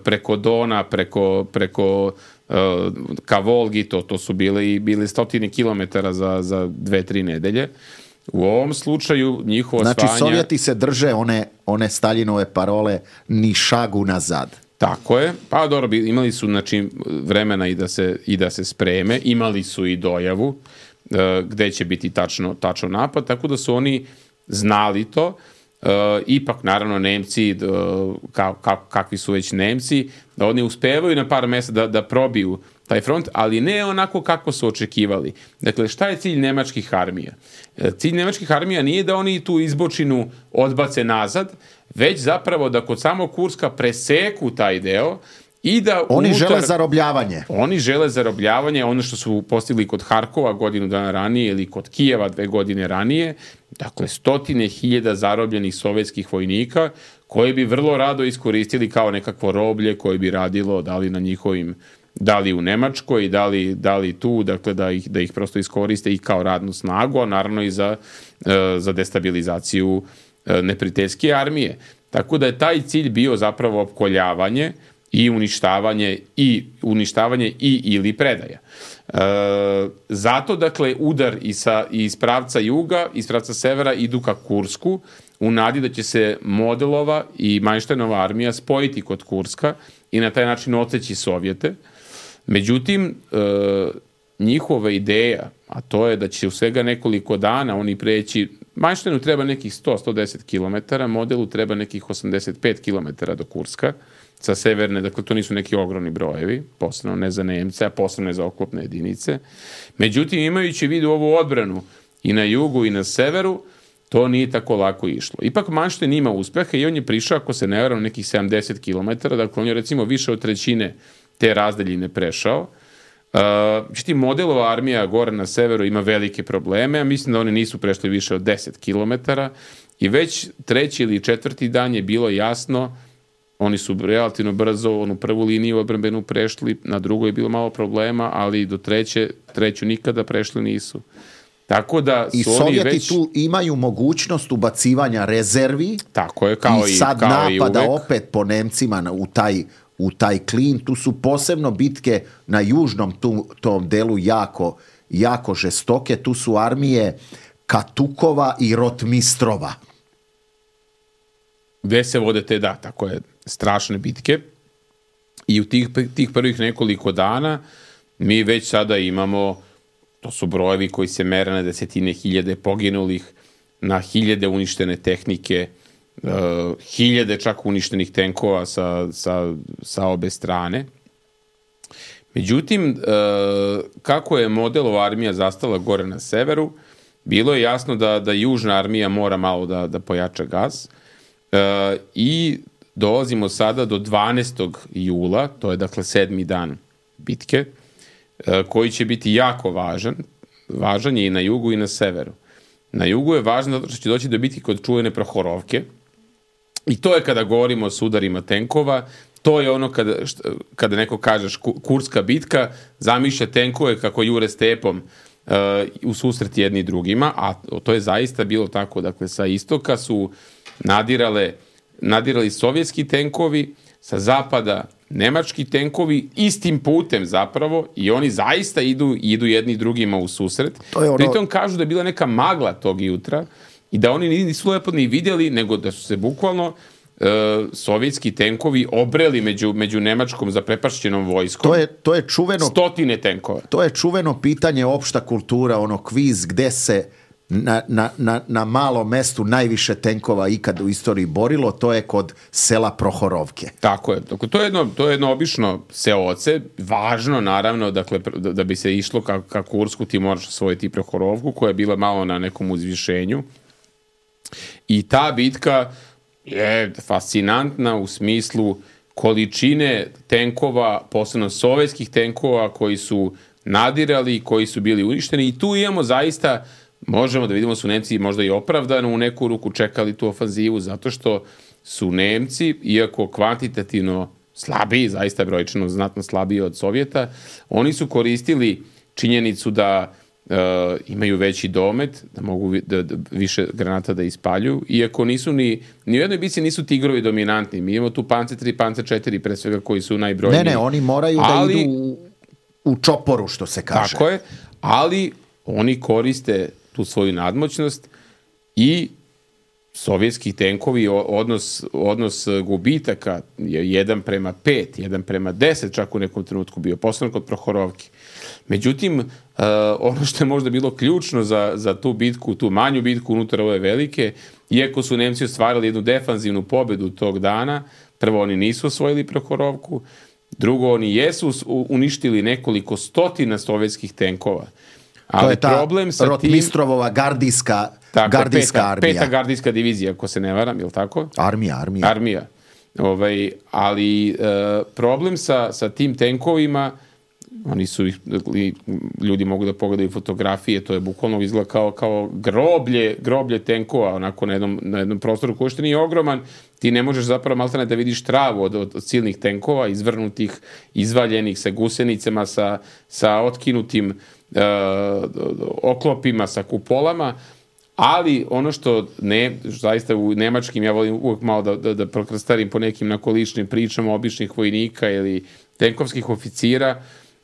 preko Dona, preko, preko uh, ka Volgi, to, to su bile i bile stotine kilometara za, za dve, tri nedelje. U ovom slučaju njihovo znači, osvajanje... Znači, Sovjeti se drže one, one Staljinove parole ni šagu nazad. Tako je. Pa dobro, imali su znači, vremena i da, se, i da se spreme, imali su i dojavu uh, gde će biti tačno, tačno napad, tako da su oni znali to. Uh, ipak, naravno, Nemci, uh, ka, ka, kakvi su već Nemci, da oni uspevaju na par mesta da, da probiju taj front, ali ne onako kako su očekivali. Dakle, šta je cilj nemačkih armija? Cilj nemačkih armija nije da oni tu izbočinu odbace nazad, već zapravo da kod samog Kurska preseku taj deo i da oni unutar, žele zarobljavanje. Oni žele zarobljavanje, ono što su postigli kod Harkova godinu dana ranije ili kod Kijeva dve godine ranije, dakle stotine hiljada zarobljenih sovjetskih vojnika koje bi vrlo rado iskoristili kao nekakvo roblje koje bi radilo da li na njihovim da li u Nemačkoj, da li, da li tu, dakle da ih, da ih prosto iskoriste i kao radnu snagu, a naravno i za, za destabilizaciju neprijateljske armije. Tako da je taj cilj bio zapravo opkoljavanje i uništavanje i uništavanje i ili predaja. E, zato, dakle, udar i sa, iz pravca juga, iz pravca severa idu ka Kursku, u nadi da će se Modelova i Majštenova armija spojiti kod Kurska i na taj način odseći Sovjete. Međutim, e, njihova ideja, a to je da će u svega nekoliko dana oni preći, Majštenu treba nekih sto do sto deset kilometara, Modelu treba nekih osamdeset pet kilometara do Kurska, sa severne, dakle to nisu neki ogromni brojevi, posebno ne za Nemce, a posebno ne za oklopne jedinice. Međutim, imajući vidu ovu odbranu i na jugu i na severu, to nije tako lako išlo. Ipak Manštajn ima uspeha i on je prišao, ako se ne varam, nekih sedamdeset kilometara, dakle on je recimo više od trećine te razdaljine prešao. Međutim, Modelova armija gore na severu ima velike probleme, a mislim da oni nisu prešli više od deset kilometara i već treći ili četvrti dan je bilo jasno, oni su relativno brzo onu prvu liniju odbrambenu prešli, na drugoj je bilo malo problema, ali do treće, treću nikada prešli nisu. Tako da su I oni Sovjeti već... tu imaju mogućnost ubacivanja rezervi. Tako je, kao i i sad kao napada i uvek. opet po Nemcima na- u taj u taj klin. Tu su posebno bitke na južnom tu, tom delu jako, jako žestoke. Tu su armije Katukova i Rotmistrova. Gde se vode te, da, tako je, strašne bitke. I u tih, tih prvih nekoliko dana mi već sada imamo, to su brojevi koji se mere na desetine hiljade poginulih, na hiljade uništene tehnike, uh, hiljade čak uništenih tenkova sa, sa, sa obe strane. Međutim, uh, kako je Modelova armija zastala gore na severu, bilo je jasno da, da južna armija mora malo da, da pojača gas. Uh, I dolazimo sada do dvanaestog jula, to je dakle sedmi dan bitke, uh, koji će biti jako važan. Važan je i na jugu i na severu. Na jugu je važno zato što će doći do bitke kod čuvene Prohorovke. I to je kada govorimo o sudarima tenkova, to je ono kada, šta, kada neko kaže Kurska bitka, zamišlja tenkove kako jure stepom uh, u susret jedni drugima, a to je zaista bilo tako. Dakle, sa istoka su nadirale, nadirali sovjetski tenkovi, sa zapada nemački tenkovi, istim putem zapravo, i oni zaista idu, idu jedni drugima u susret. Ono... Pritom kažu da je bila neka magla tog jutra i da oni nisu lepo ni vidjeli, nego da su se bukvalno uh, sovjetski tenkovi obreli među, među nemačkom zaprepašćenom vojskom. To je, to je čuveno, stotine tenkova. To je čuveno pitanje opšta kultura, ono kviz gde se na, na, na, na malom mestu najviše tenkova ikad u istoriji borilo, to je kod sela Prohorovke. Tako je. Dakle, to je jedno, to je jedno obično seoce, važno naravno, dakle, da, da bi se išlo ka, ka Kursku, ti moraš osvojiti Prohorovku, koja je bila malo na nekom uzvišenju. I ta bitka je fascinantna u smislu količine tenkova, posebno sovjetskih tenkova koji su nadirali, koji su bili uništeni, i tu imamo zaista, možemo da vidimo su Nemci možda i opravdano u neku ruku čekali tu ofanzivu, zato što su Nemci, iako kvantitativno slabiji, zaista brojčano znatno slabiji od Sovjeta, oni su koristili činjenicu da uh, imaju veći domet, da mogu da, da, više granata da ispaljuju, iako nisu ni, ni u jednoj bici nisu tigrovi dominantni. Mi imamo tu Panzer tri, Panzer četiri pre svega koji su najbrojniji. Ne, ne, oni moraju ali, da idu u, u čoporu, što se kaže. Tako je, ali oni koriste tu svoju nadmoćnost i sovjetski tenkovi, odnos, odnos gubitaka je jedan prema pet, jedan prema deset čak u nekom trenutku bio, posebno kod Prohorovke. Međutim, uh, ono što je možda bilo ključno za, za tu bitku, tu manju bitku unutar ove velike, iako su Nemci ostvarili jednu defanzivnu pobedu tog dana, prvo oni nisu osvojili Prohorovku, drugo oni jesu uništili nekoliko stotina sovjetskih tenkova. Ali to je ta problem sa Rotmistrovova gardijska, tako, gardijska peta, armija. Peta gardijska divizija, ako se ne varam, je li tako? Armija, armija. Armija. Ovaj, ali e, problem sa, sa tim tenkovima, oni su ih, ljudi mogu da pogledaju fotografije, to je bukvalno izgleda kao, kao groblje, groblje tenkova, onako na jednom, na jednom prostoru koji što nije ogroman, ti ne možeš zapravo maltene da vidiš travu od, od, od silnih tenkova, izvrnutih, izvaljenih, sa gusenicama, sa, sa otkinutim uh, oklopima, sa kupolama, ali ono što ne, zaista u nemačkim, ja volim uvijek malo da, da, da prokrstarim po nekim nakoličnim pričama običnih vojnika ili tenkovskih oficira,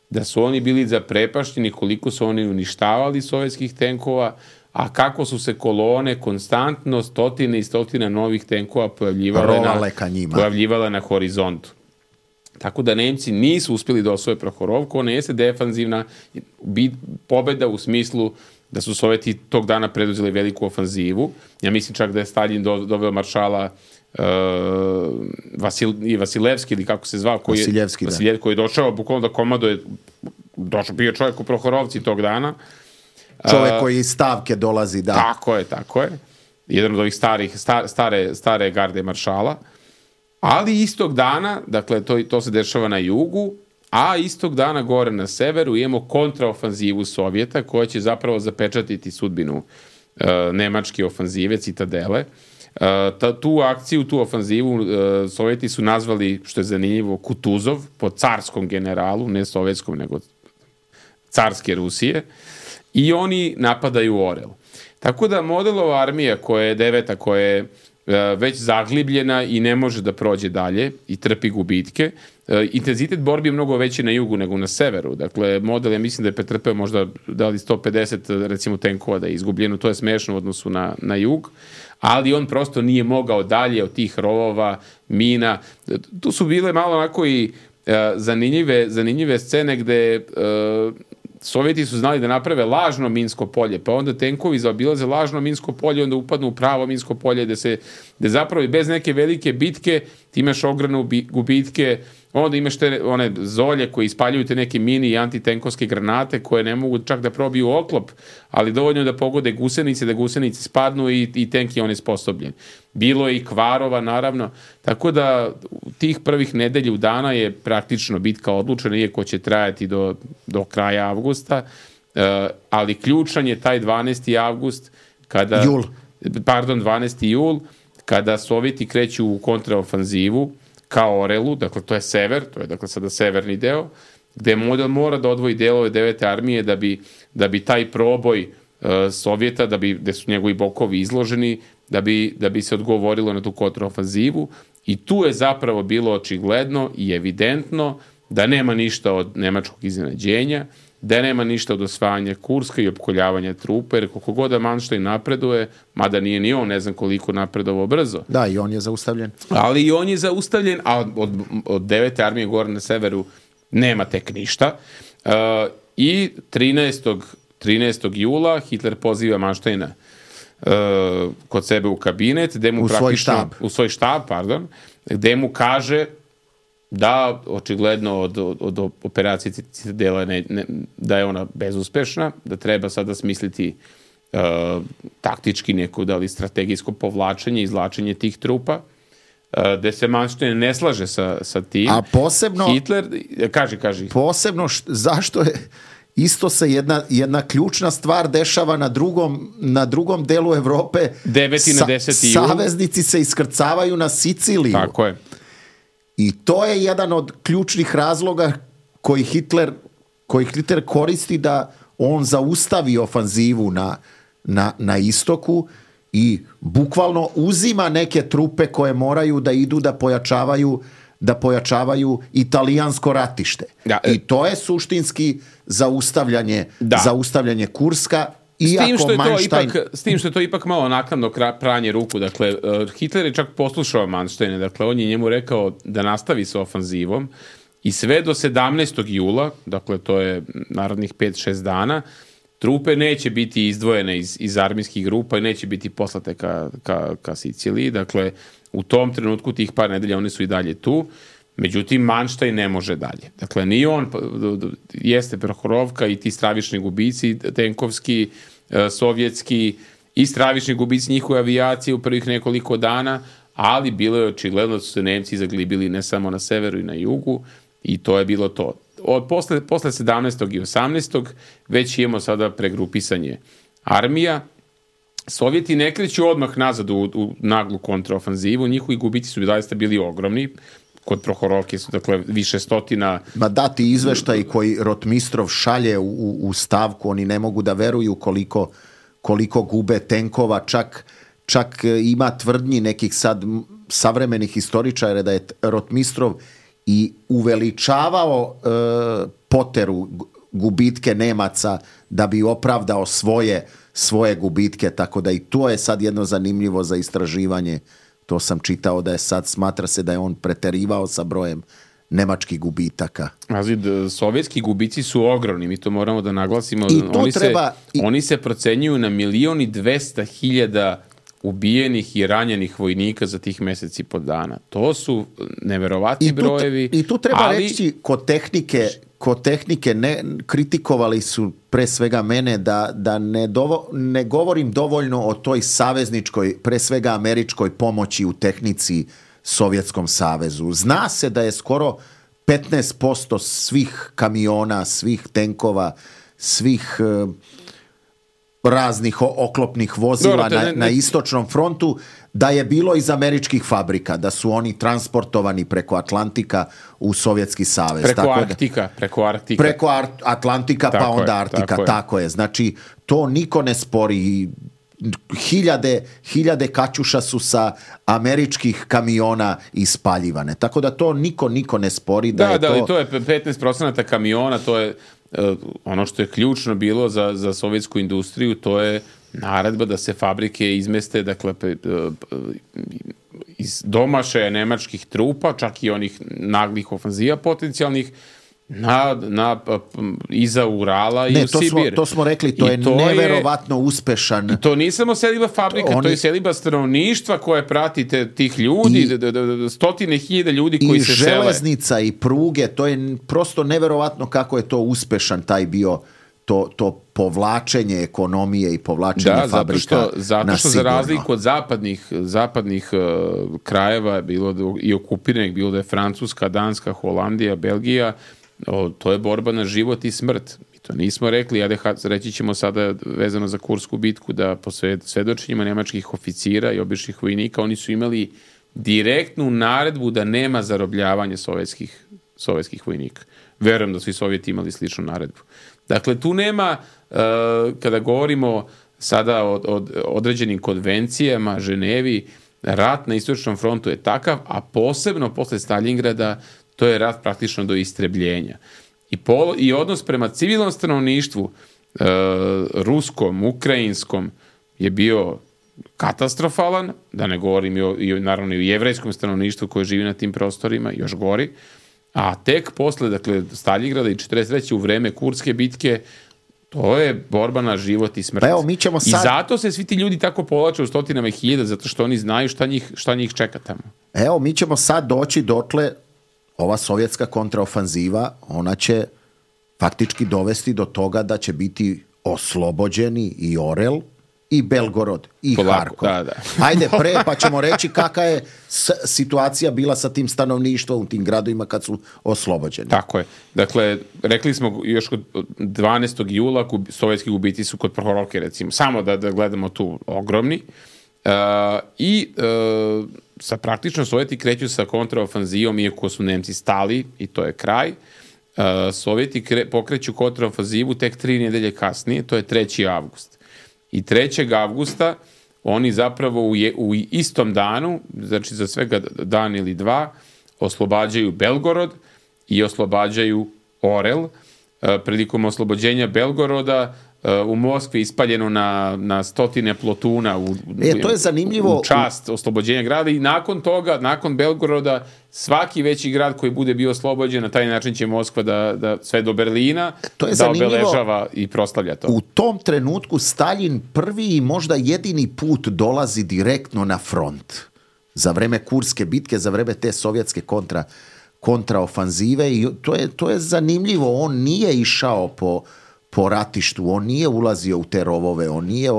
da su oni bili zaprepašteni koliko su oni uništavali sovjetskih tenkova, a kako su se kolone konstantno, stotine i stotine novih tenkova pojavljivale na, pojavljivale na horizontu. Tako da Nemci nisu uspjeli da osvoje Prohorovku, ona jeste defanzivna pobjeda u smislu da su Sovjeti tog dana preduzeli veliku ofanzivu. Ja mislim čak da je Stalin doveo maršala uh, Vasil, Vasilevski ili kako se zvao, koji je, Vasiljevski, Vasiljev, koji je došao bukvalno da komanduje, došao, bio čovjek u Prohorovci tog dana. Čovjek koji iz stavke dolazi, da. Tako je, tako je. Jedan od ovih starih, star, stare, stare garde maršala. Ali istog dana, dakle, to, to se dešava na jugu, a istog dana gore na severu imamo kontraofanzivu Sovjeta koja će zapravo zapečatiti sudbinu uh, nemačke ofanzive, Citadele. Uh, ta, tu akciju, tu ofanzivu uh, Sovjeti su nazvali, što je zanimljivo, Kutuzov, po carskom generalu, ne sovjetskom, nego carske Rusije. I oni napadaju Orel. Tako da modelova armija koja je deveta, koja je uh, već zaglibljena i ne može da prođe dalje i trpi gubitke, uh, intenzitet borbi je mnogo veći na jugu nego na severu. Dakle, model, ja mislim da je pretrpeo možda da li sto pedeset recimo tenkova da je izgubljeno, to je smešno u odnosu na, na jug, ali on prosto nije mogao dalje od tih rovova, mina. Tu su bile malo onako i uh, zanimljive, zanimljive scene gde uh, Sovjeti su znali da naprave lažno minsko polje, pa onda tenkovi zaobilaze lažno minsko polje, onda upadnu u pravo minsko polje, gde se, gde zapravo bez neke velike bitke ti imaš ogromne gubitke, onda imaš te one zolje koje ispaljuju te neke mini i antitenkovske granate koje ne mogu čak da probiju oklop, ali dovoljno da pogode gusenice, da gusenice spadnu i, i tenk je on isposobljen. Bilo je i kvarova, naravno, tako da tih prvih nedelju dana je praktično bitka odlučena, iako će trajati do, do kraja avgusta, uh, ali ključan je taj dvanaesti avgust, kada, jul. pardon, dvanaesti jul, kada Sovjeti kreću u kontraofanzivu ka Orelu, dakle to je sever, to je dakle sada severni deo, gde model mora da odvoji delove devete armije da bi, da bi taj proboj uh, Sovjeta, da bi, gde su njegovi bokovi izloženi, da bi, da bi se odgovorilo na tu kontraofanzivu, i tu je zapravo bilo očigledno i evidentno da nema ništa od nemačkog iznenađenja, da nema ništa od osvajanja Kurska i opkoljavanja trupe, jer koliko god da Manštajn napreduje, mada nije ni on, ne znam koliko napredovao brzo. Da, i on je zaustavljen. Ali i on je zaustavljen, a od, od devete armije gore na severu nema tek ništa. Uh, I trinaestog jula Hitler poziva Manštajna uh, kod sebe u kabinet, gde mu u svoj štab. U svoj štab, pardon, gde mu kaže da očigledno od, od, od operacije Citadela ne, ne, da je ona bezuspešna, da treba sada smisliti uh, taktički neko da li strategijsko povlačenje, izvlačenje tih trupa, uh, gde se Manštajn ne slaže sa, sa tim. A posebno... Hitler, kaži, kaži. Posebno, š, zašto je... Isto se jedna, jedna ključna stvar dešava na drugom, na drugom delu Evrope. deveti na deseti jul. Saveznici se iskrcavaju na Siciliju. Tako je. I to je jedan od ključnih razloga koji Hitler, koji Hitler koristi da on zaustavi ofanzivu na, na, na istoku i bukvalno uzima neke trupe koje moraju da idu da pojačavaju da pojačavaju italijansko ratište. Da, I to je suštinski zaustavljanje, da. zaustavljanje Kurska. S tim, što je to Manštajn... ipak, s tim što je to ipak malo naknadno pranje ruku. Dakle, Hitler je čak poslušao Manštajna. Dakle, on je njemu rekao da nastavi sa ofanzivom i sve do sedamnaestog jula, dakle, to je narednih pet šest dana, trupe neće biti izdvojene iz, iz armijskih grupa i neće biti poslate ka, ka, ka Siciliji. Dakle, u tom trenutku tih par nedelja oni su i dalje tu. Međutim, Manštajn ne može dalje. Dakle, ni on, jeste Prohorovka i ti stravični gubici, tenkovski, sovjetski, i stravični gubici njihove avijacije u prvih nekoliko dana, ali bilo je očigledno da su se Nemci zaglibili ne samo na severu i na jugu, i to je bilo to. od posle, posle sedamnaestog i osamnaestog već imamo sada pregrupisanje armija. Sovjeti ne kreću odmah nazad u, u naglu kontraofanzivu, njihovi gubici su zaista bili ogromni. Kod Prohorovke su, dakle, više stotina... Ma dati izveštaj koji Rotmistrov šalje u, u stavku, oni ne mogu da veruju koliko, koliko gube tenkova, čak, čak ima tvrdnji nekih sad savremenih historičara da je Rotmistrov i uveličavao e, Poteru gubitke Nemaca da bi opravdao svoje, svoje gubitke, tako da i to je sad jedno zanimljivo za istraživanje. To sam čitao da je sad, smatra se da je on preterivao sa brojem nemačkih gubitaka. Azid, sovjetski gubici su ogromni, mi to moramo da naglasimo. I to oni, treba, se, i... oni se procenjuju na milion i dvesta hiljada ubijenih i ranjenih vojnika za tih meseci i po dana. To su neverovatni I tu, brojevi. I tu treba ali... reći, kod tehnike, kod tehnike ne, kritikovali su pre svega mene da, da ne, dovo, ne govorim dovoljno o toj savezničkoj, pre svega američkoj pomoći u tehnici Sovjetskom savezu. Zna se da je skoro petnaest posto svih kamiona, svih tenkova, svih uh, raznih oklopnih vozila Dobro, ne, na, ne. na istočnom frontu, da je bilo iz američkih fabrika, da su oni transportovani preko Atlantika u Sovjetski savez. Preko tako Arktika, da, preko Arktika. Preko Ar- Atlantika, tako pa onda je, Arktika, tako, tako je. je. Znači, to niko ne spori. Hiljade, hiljade kaćuša su sa američkih kamiona ispaljivane. Tako da to niko, niko ne spori. Da, Da, je da, to... i to je petnaest procenata kamiona, to je uh, ono što je ključno bilo za, za sovjetsku industriju, to je naredba da se fabrike izmeste, dakle, uh, iz domašaja nemačkih trupa, čak i onih naglih ofanzija potencijalnih, na, na, iza Urala i ne, u to Sibir. smo, to smo rekli, to I je to neverovatno uspešan. I to nije samo seliba fabrika, Oni... to je seliba stanovništva koje pratite tih ljudi, I, d, d, d, stotine hiljada ljudi koji i se sele. I železnica i pruge, to je prosto neverovatno kako je to uspešan taj bio, to, to povlačenje ekonomije i povlačenje da, fabrika. Zato što, zato što na za sigurno. razliku od zapadnih, zapadnih uh, krajeva, bilo da, i okupiranih, bilo da je Francuska, Danska, Holandija, Belgija, o, to je borba na život i smrt. Mi to nismo rekli, a reći ćemo sada vezano za Kursku bitku da po svedočenjima nemačkih oficira i običnih vojnika oni su imali direktnu naredbu da nema zarobljavanja sovjetskih, sovjetskih vojnika. Verujem da su i Sovjeti imali sličnu naredbu. Dakle, tu nema, uh, kada govorimo sada o, o određenim konvencijama, Ženevi, rat na istočnom frontu je takav, a posebno posle Stalingrada to je rat praktično do istrebljenja. I, pol, i odnos prema civilnom stanovništvu, e, ruskom, ukrajinskom, je bio katastrofalan, da ne govorim i, o, i naravno i o jevrejskom stanovništvu koje živi na tim prostorima, još gori. A tek posle, dakle, Stalingrada i četrdeset treće u vreme Kurske bitke, to je borba na život i smrt. Pa evo, mi ćemo sad... I zato se svi ti ljudi tako povlače u stotinama hiljada, zato što oni znaju šta njih, šta njih čeka tamo. Evo, mi ćemo sad doći dotle, ova sovjetska kontraofanziva, ona će faktički dovesti do toga da će biti oslobođeni i Orel i Belgorod i Polako, Harkov. da, da. Ajde pre, pa ćemo reći kakva je situacija bila sa tim stanovništvom u tim gradovima kad su oslobođeni. Tako je. Dakle, rekli smo još kod dvanaestog jula sovjetski gubici su kod Prohorovke, recimo, samo da, da gledamo tu ogromni. Uh, I uh, sa praktično Sovjeti kreću sa kontraofanzijom, iako su Nemci stali i to je kraj. Uh, Sovjeti kre, pokreću kontraofanzivu tek tri nedelje kasnije, to je treći avgust. I trećeg avgusta oni zapravo u, je, u istom danu, znači za svega dan ili dva, oslobađaju Belgorod i oslobađaju Orel. Uh, prilikom oslobođenja Belgoroda u Moskvi ispaljeno na, na stotine plotuna u, e, to je zanimljivo. U čast oslobođenja grada i nakon toga, nakon Belgoroda, svaki veći grad koji bude bio oslobođen, na taj način će Moskva da, da sve do Berlina to je da zanimljivo. Obeležava i proslavlja to. U tom trenutku Stalin prvi i možda jedini put dolazi direktno na front. Za vreme Kurske bitke, za vreme te sovjetske kontra, kontraofanzive i to je, to je zanimljivo. On nije išao po po ratištu, on nije ulazio u te rovove, on nije,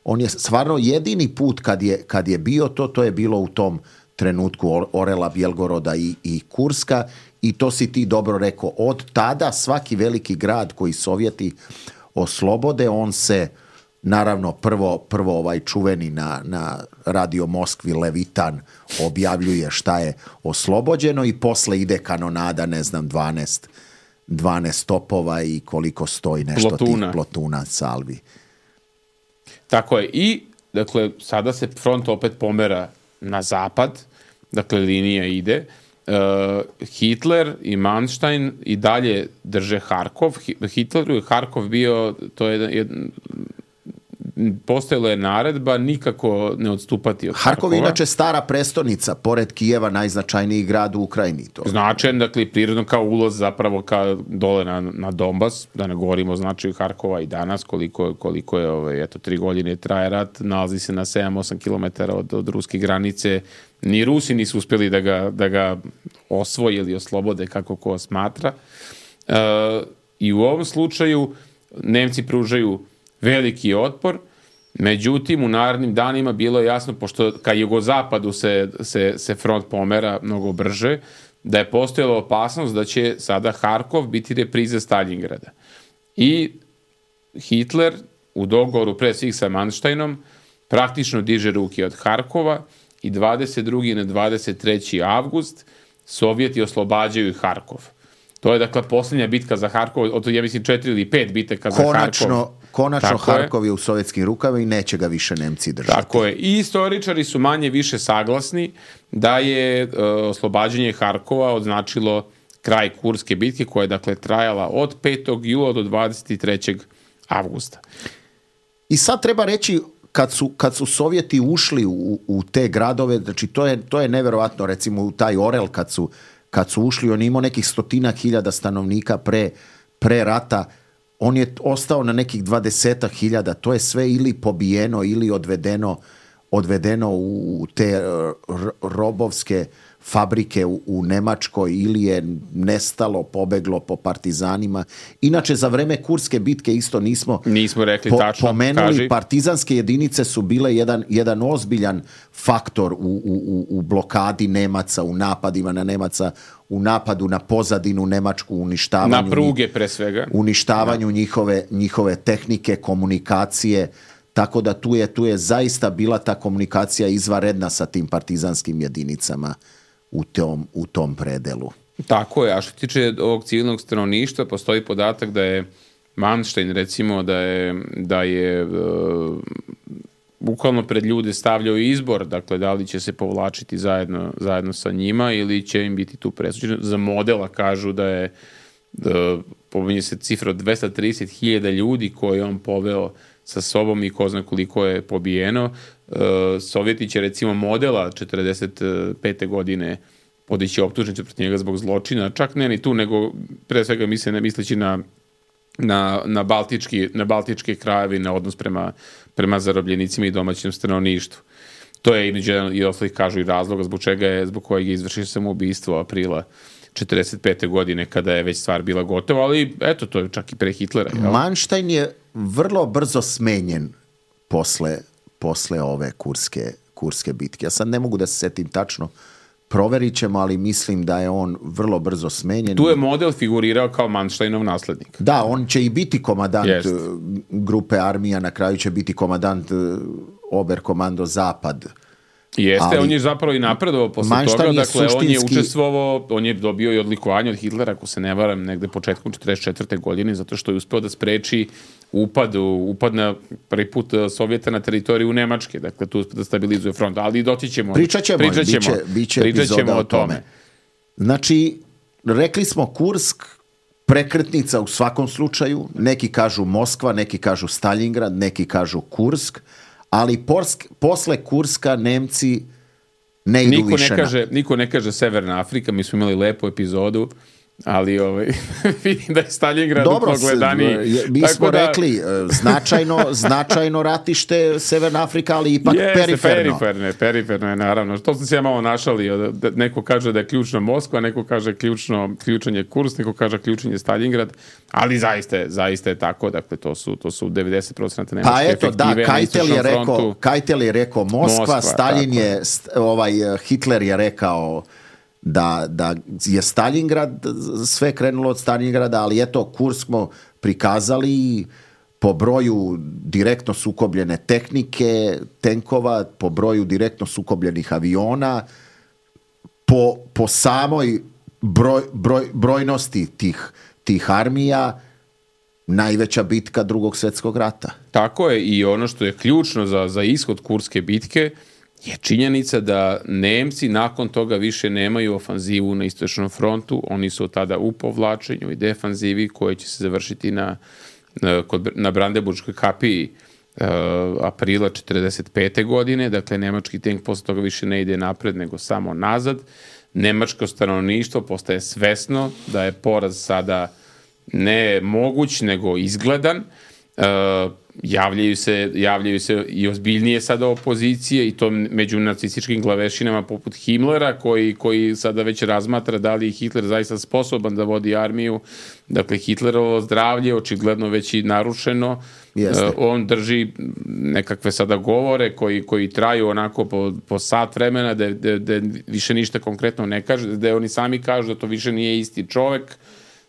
on je stvarno jedini put kad je, kad je bio to, to je bilo u tom trenutku Orela, Bjelgoroda i, i Kurska, i to si ti dobro rekao. Od tada svaki veliki grad koji Sovjeti oslobode, on se naravno prvo, prvo ovaj čuveni na, na Radio Moskvi Levitan objavljuje šta je oslobođeno i posle ide kanonada, ne znam, dvanaest, dvanaest topova i koliko stoji nešto plotuna. Tih plotuna salvi. Tako je. I, dakle, sada se front opet pomera na zapad, dakle, linija ide. Uh, Hitler i Manstein i dalje drže Harkov. Hitleru je Harkov bio, to je jedan, postojala je naredba nikako ne odstupati od Harkova. Harkov je inače stara prestonica, pored Kijeva najznačajniji grad u Ukrajini. To. Značajan, dakle, prirodno kao ulaz zapravo ka dole na, na Donbas, da ne govorimo o značaju Harkova i danas, koliko, koliko je, ovaj, eto, tri godine traje rat, nalazi se na sedam osam kilometara od, od ruske granice. Ni Rusi nisu uspjeli da ga, da ga osvoje ili oslobode, kako ko smatra. E, I u ovom slučaju Nemci pružaju veliki otpor, međutim u narednim danima bilo je jasno, pošto ka jugozapadu se, se, se front pomera mnogo brže, da je postojala opasnost da će sada Harkov biti repriza Stalingrada. I Hitler u dogovoru pre svih sa Mansteinom praktično diže ruke od Harkova i dvadeset drugi na dvadeset treći avgust Sovjeti oslobađaju Harkov. To je, dakle, posljednja bitka za Harkov, od ja mislim četiri ili pet bitaka za konačno, Harkov. Konačno Harkov je u sovjetskim rukama i neće ga više Nemci držati. Tako je. I istoričari su manje više saglasni da je uh, oslobađanje Harkova označilo kraj Kurske bitke, koja je, dakle, trajala od petog jula do dvadeset trećeg avgusta. I sad treba reći, kad su, kad su Sovjeti ušli u, u te gradove, znači to je, to je neverovatno, recimo u taj Orel kad su kad su ušli, on je imao nekih stotina hiljada stanovnika pre, pre rata, on je ostao na nekih dvadesetak hiljada, to je sve ili pobijeno ili odvedeno, odvedeno u te robovske fabrike u, u Nemačkoj, ili je nestalo, pobeglo po partizanima. Inače, za vreme Kurske bitke isto nismo, nismo rekli po, tačno, pomenuli, kaži. Partizanske jedinice su bile jedan, jedan ozbiljan faktor u, u, u blokadi Nemaca, u napadima na Nemaca, u napadu na pozadinu Nemačku, uništavanju, na pruge pre svega, uništavanju njihove, njihove tehnike, komunikacije. Tako da tu je, tu je zaista bila ta komunikacija izvanredna sa tim partizanskim jedinicama u tom, u tom predelu. Tako je, a što tiče ovog civilnog stanovništva, postoji podatak da je Manstein, recimo, da je, da je uh, bukvalno pred ljude stavljao izbor, dakle, da li će se povlačiti zajedno, zajedno sa njima ili će im biti tu presuđeno. Za modela kažu da je, da, pominje se cifra od dvesta trideset hiljada ljudi koje on poveo sa sobom i ko zna koliko je pobijeno. Sovjeti će, recimo, modela četrdeset pete godine podići optužnicu protiv njega zbog zločina, čak ne ni tu, nego pre svega misle, ne misleći na, na, na, baltički, na baltičke krajevi, na odnos prema, prema zarobljenicima i domaćem stanovništvu. To je između i ostalih kažu i razloga zbog čega je, zbog kojeg je izvršio samoubistvo aprila četrdeset pete godine, kada je već stvar bila gotova, ali eto, to je čak i pre Hitlera. Jel? Manstein je vrlo brzo smenjen posle, posle ove kurske, kurske bitke. Ja sad ne mogu da se setim tačno, proverit ćemo, ali mislim da je on vrlo brzo smenjen. Tu je model figurirao kao Mansteinov naslednik. Da, on će i biti komadant Jest. grupe armija, na kraju će biti komadant Oberkomando Zapad. Jeste, ali on je zapravo i napredovao posle Manstein toga, je dakle suštinski... on je učestvovao, on je dobio i odlikovanje od Hitlera, ako se ne varam, negde početkom četrdeset četvrte godine, zato što je uspeo da spreči upad, upad na prvi put Sovjeta na teritoriju Nemačke, dakle tu da stabilizuje front, ali doći ćemo, pričat ćemo, pričat ćemo, biće, biće pričat ćemo epizoda o o tome. tome. Znači, rekli smo Kursk, prekretnica u svakom slučaju, neki kažu Moskva, neki kažu Stalingrad, neki kažu Kursk, ali porsk, posle Kurska Nemci ne idu niko više ne kaže, na... Niko ne kaže Severna Afrika, mi smo imali lepu epizodu ali ovaj, vidim da je Stalingrad Dobro, progledaniji. Mi Tako smo da, rekli, značajno, značajno ratište Severna Afrika, ali ipak jeste, periferno. periferno. Periferno je, naravno. To sam se ja malo našalio. Neko kaže da je ključno Moskva, neko kaže ključno, ključan je Kurs, neko kaže ključan je Stalingrad, ali zaista je, zaista je tako. Dakle, to su, to su devedeset posto nemačke pa eto, efektive da, Keitel je rekao, Keitel je rekao Moskva, Moskva Stalin tako. je, ovaj, Hitler je rekao da, da je Stalingrad, sve krenulo od Stalingrada, ali eto, Kurs smo prikazali po broju direktno sukobljene tehnike, tenkova, po broju direktno sukobljenih aviona, po, po samoj broj, broj, brojnosti tih, tih armija, najveća bitka Drugog svjetskog rata. Tako je, i ono što je ključno za, za ishod Kurske bitke je činjenica da Nemci nakon toga više nemaju ofanzivu na istočnom frontu, oni su tada u povlačenju i defanzivi koje će se završiti na, kod, na Brandenburškoj kapiji uh, aprila četrdeset pete godine, dakle nemački tank posle toga više ne ide napred nego samo nazad. Nemačko stanovništvo postaje svesno da je poraz sada ne moguć nego izgledan. Uh, javljaju se, javljaju se i ozbiljnije sada opozicije i to među nacističkim glavešinama poput Himmlera koji, koji sada već razmatra da li je Hitler zaista sposoban da vodi armiju. Dakle, Hitlerovo zdravlje očigledno već i narušeno. Uh, on drži nekakve sada govore koji, koji traju onako po, po sat vremena da, da, da više ništa konkretno ne kaže, da oni sami kažu da to više nije isti čovek.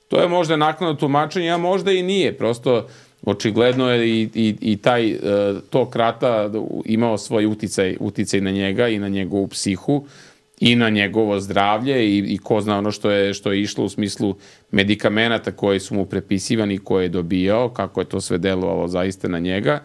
To je možda naknadno tumačenje, a možda i nije. Prosto očigledno je i, i, i taj tok rata imao svoj uticaj, uticaj na njega i na njegovu psihu i na njegovo zdravlje i, i ko zna ono što je, što je išlo u smislu medikamenata koji su mu prepisivani, koje je dobijao, kako je to sve delovalo zaista na njega.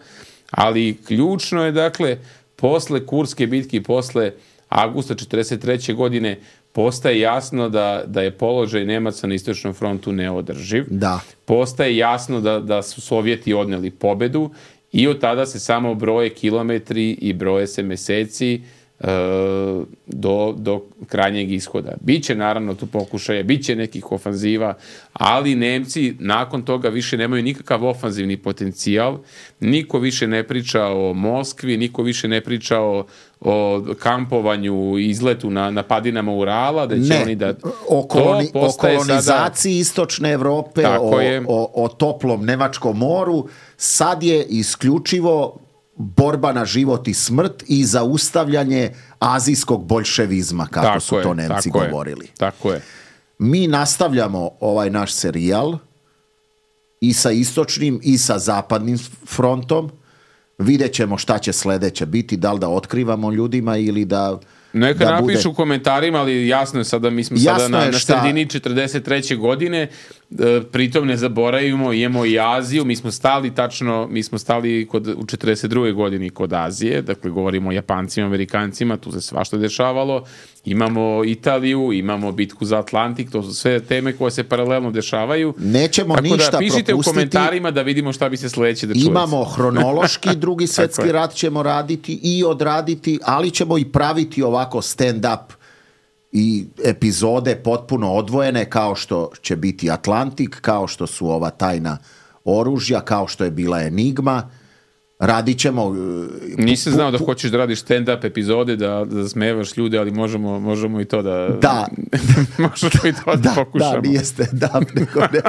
Ali ključno je, dakle, posle Kurske bitke, posle avgusta četrdeset treće godine postaje jasno da, da je položaj Nemaca na istočnom frontu neodrživ. Da. Postaje jasno da, da su Sovjeti odneli pobedu i od tada se samo broje kilometri i broje se meseci e, do, do krajnjeg ishoda. Biće naravno tu pokušaja, biće nekih ofanziva, ali Nemci nakon toga više nemaju nikakav ofanzivni potencijal, niko više ne priča o Moskvi, niko više ne priča o o kampovanju, izletu na, na padinama Urala, da će ne, oni da... O, koloni, o kolonizaciji sada, istočne Evrope, o, o, o toplom Nemačkom moru, sad je isključivo borba na život i smrt i zaustavljanje azijskog boljševizma, kako tako su je, to Nemci tako govorili. Je, tako je. Mi nastavljamo ovaj naš serijal i sa istočnim i sa zapadnim frontom. Vidjet ćemo šta će sledeće biti, da li da otkrivamo ljudima ili da... Neka da napišu bude... u komentarima, ali jasno je sada, mi smo jasno sada na, na sredini četrdeset treće godine, e, pritom ne zaboravimo, imamo i Aziju, mi smo stali tačno, mi smo stali kod, u četrdeset druge godini kod Azije, dakle govorimo o Japancima, Amerikancima, tu se svašta dešavalo, imamo Italiju, imamo bitku za Atlantik, to su sve teme koje se paralelno dešavaju. Nećemo tako ništa propustiti. Tako da pišite propustiti. U komentarima da vidimo šta bi se sledeće da čujete. Imamo hronološki drugi svjetski rat ćemo raditi i odraditi, ali ćemo i praviti ovako stand-up i epizode potpuno odvojene, kao što će biti Atlantik, kao što su ova tajna oružja, kao što je bila Enigma. Radit ćemo... Nisam znao da hoćeš da radiš stand-up epizode, da, da smevaš ljude, ali možemo, možemo i to da... Da. možemo i to da, da pokušamo. Da, nije stand-up, nego ne.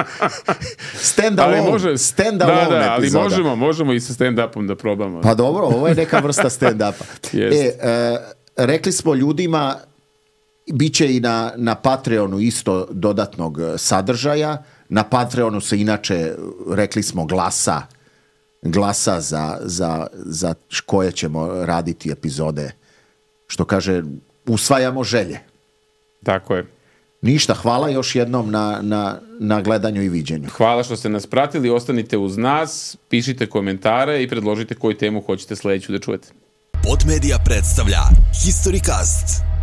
Stand-alone, može, stand-alone da, da, ali epizoda. možemo, možemo i sa stand-upom da probamo. Pa dobro, ovo je neka vrsta stand-upa. e, e, rekli smo ljudima, bit će i na, na Patreonu isto dodatnog sadržaja. Na Patreonu se inače, rekli smo, glasa glasa za, za, za koje ćemo raditi epizode. Što kaže, usvajamo želje. Tako je. Ništa, hvala još jednom na, na, na gledanju i viđenju. Hvala što ste nas pratili, ostanite uz nas, pišite komentare i predložite koju temu hoćete sledeću da čujete. Podmedia predstavlja Historycast.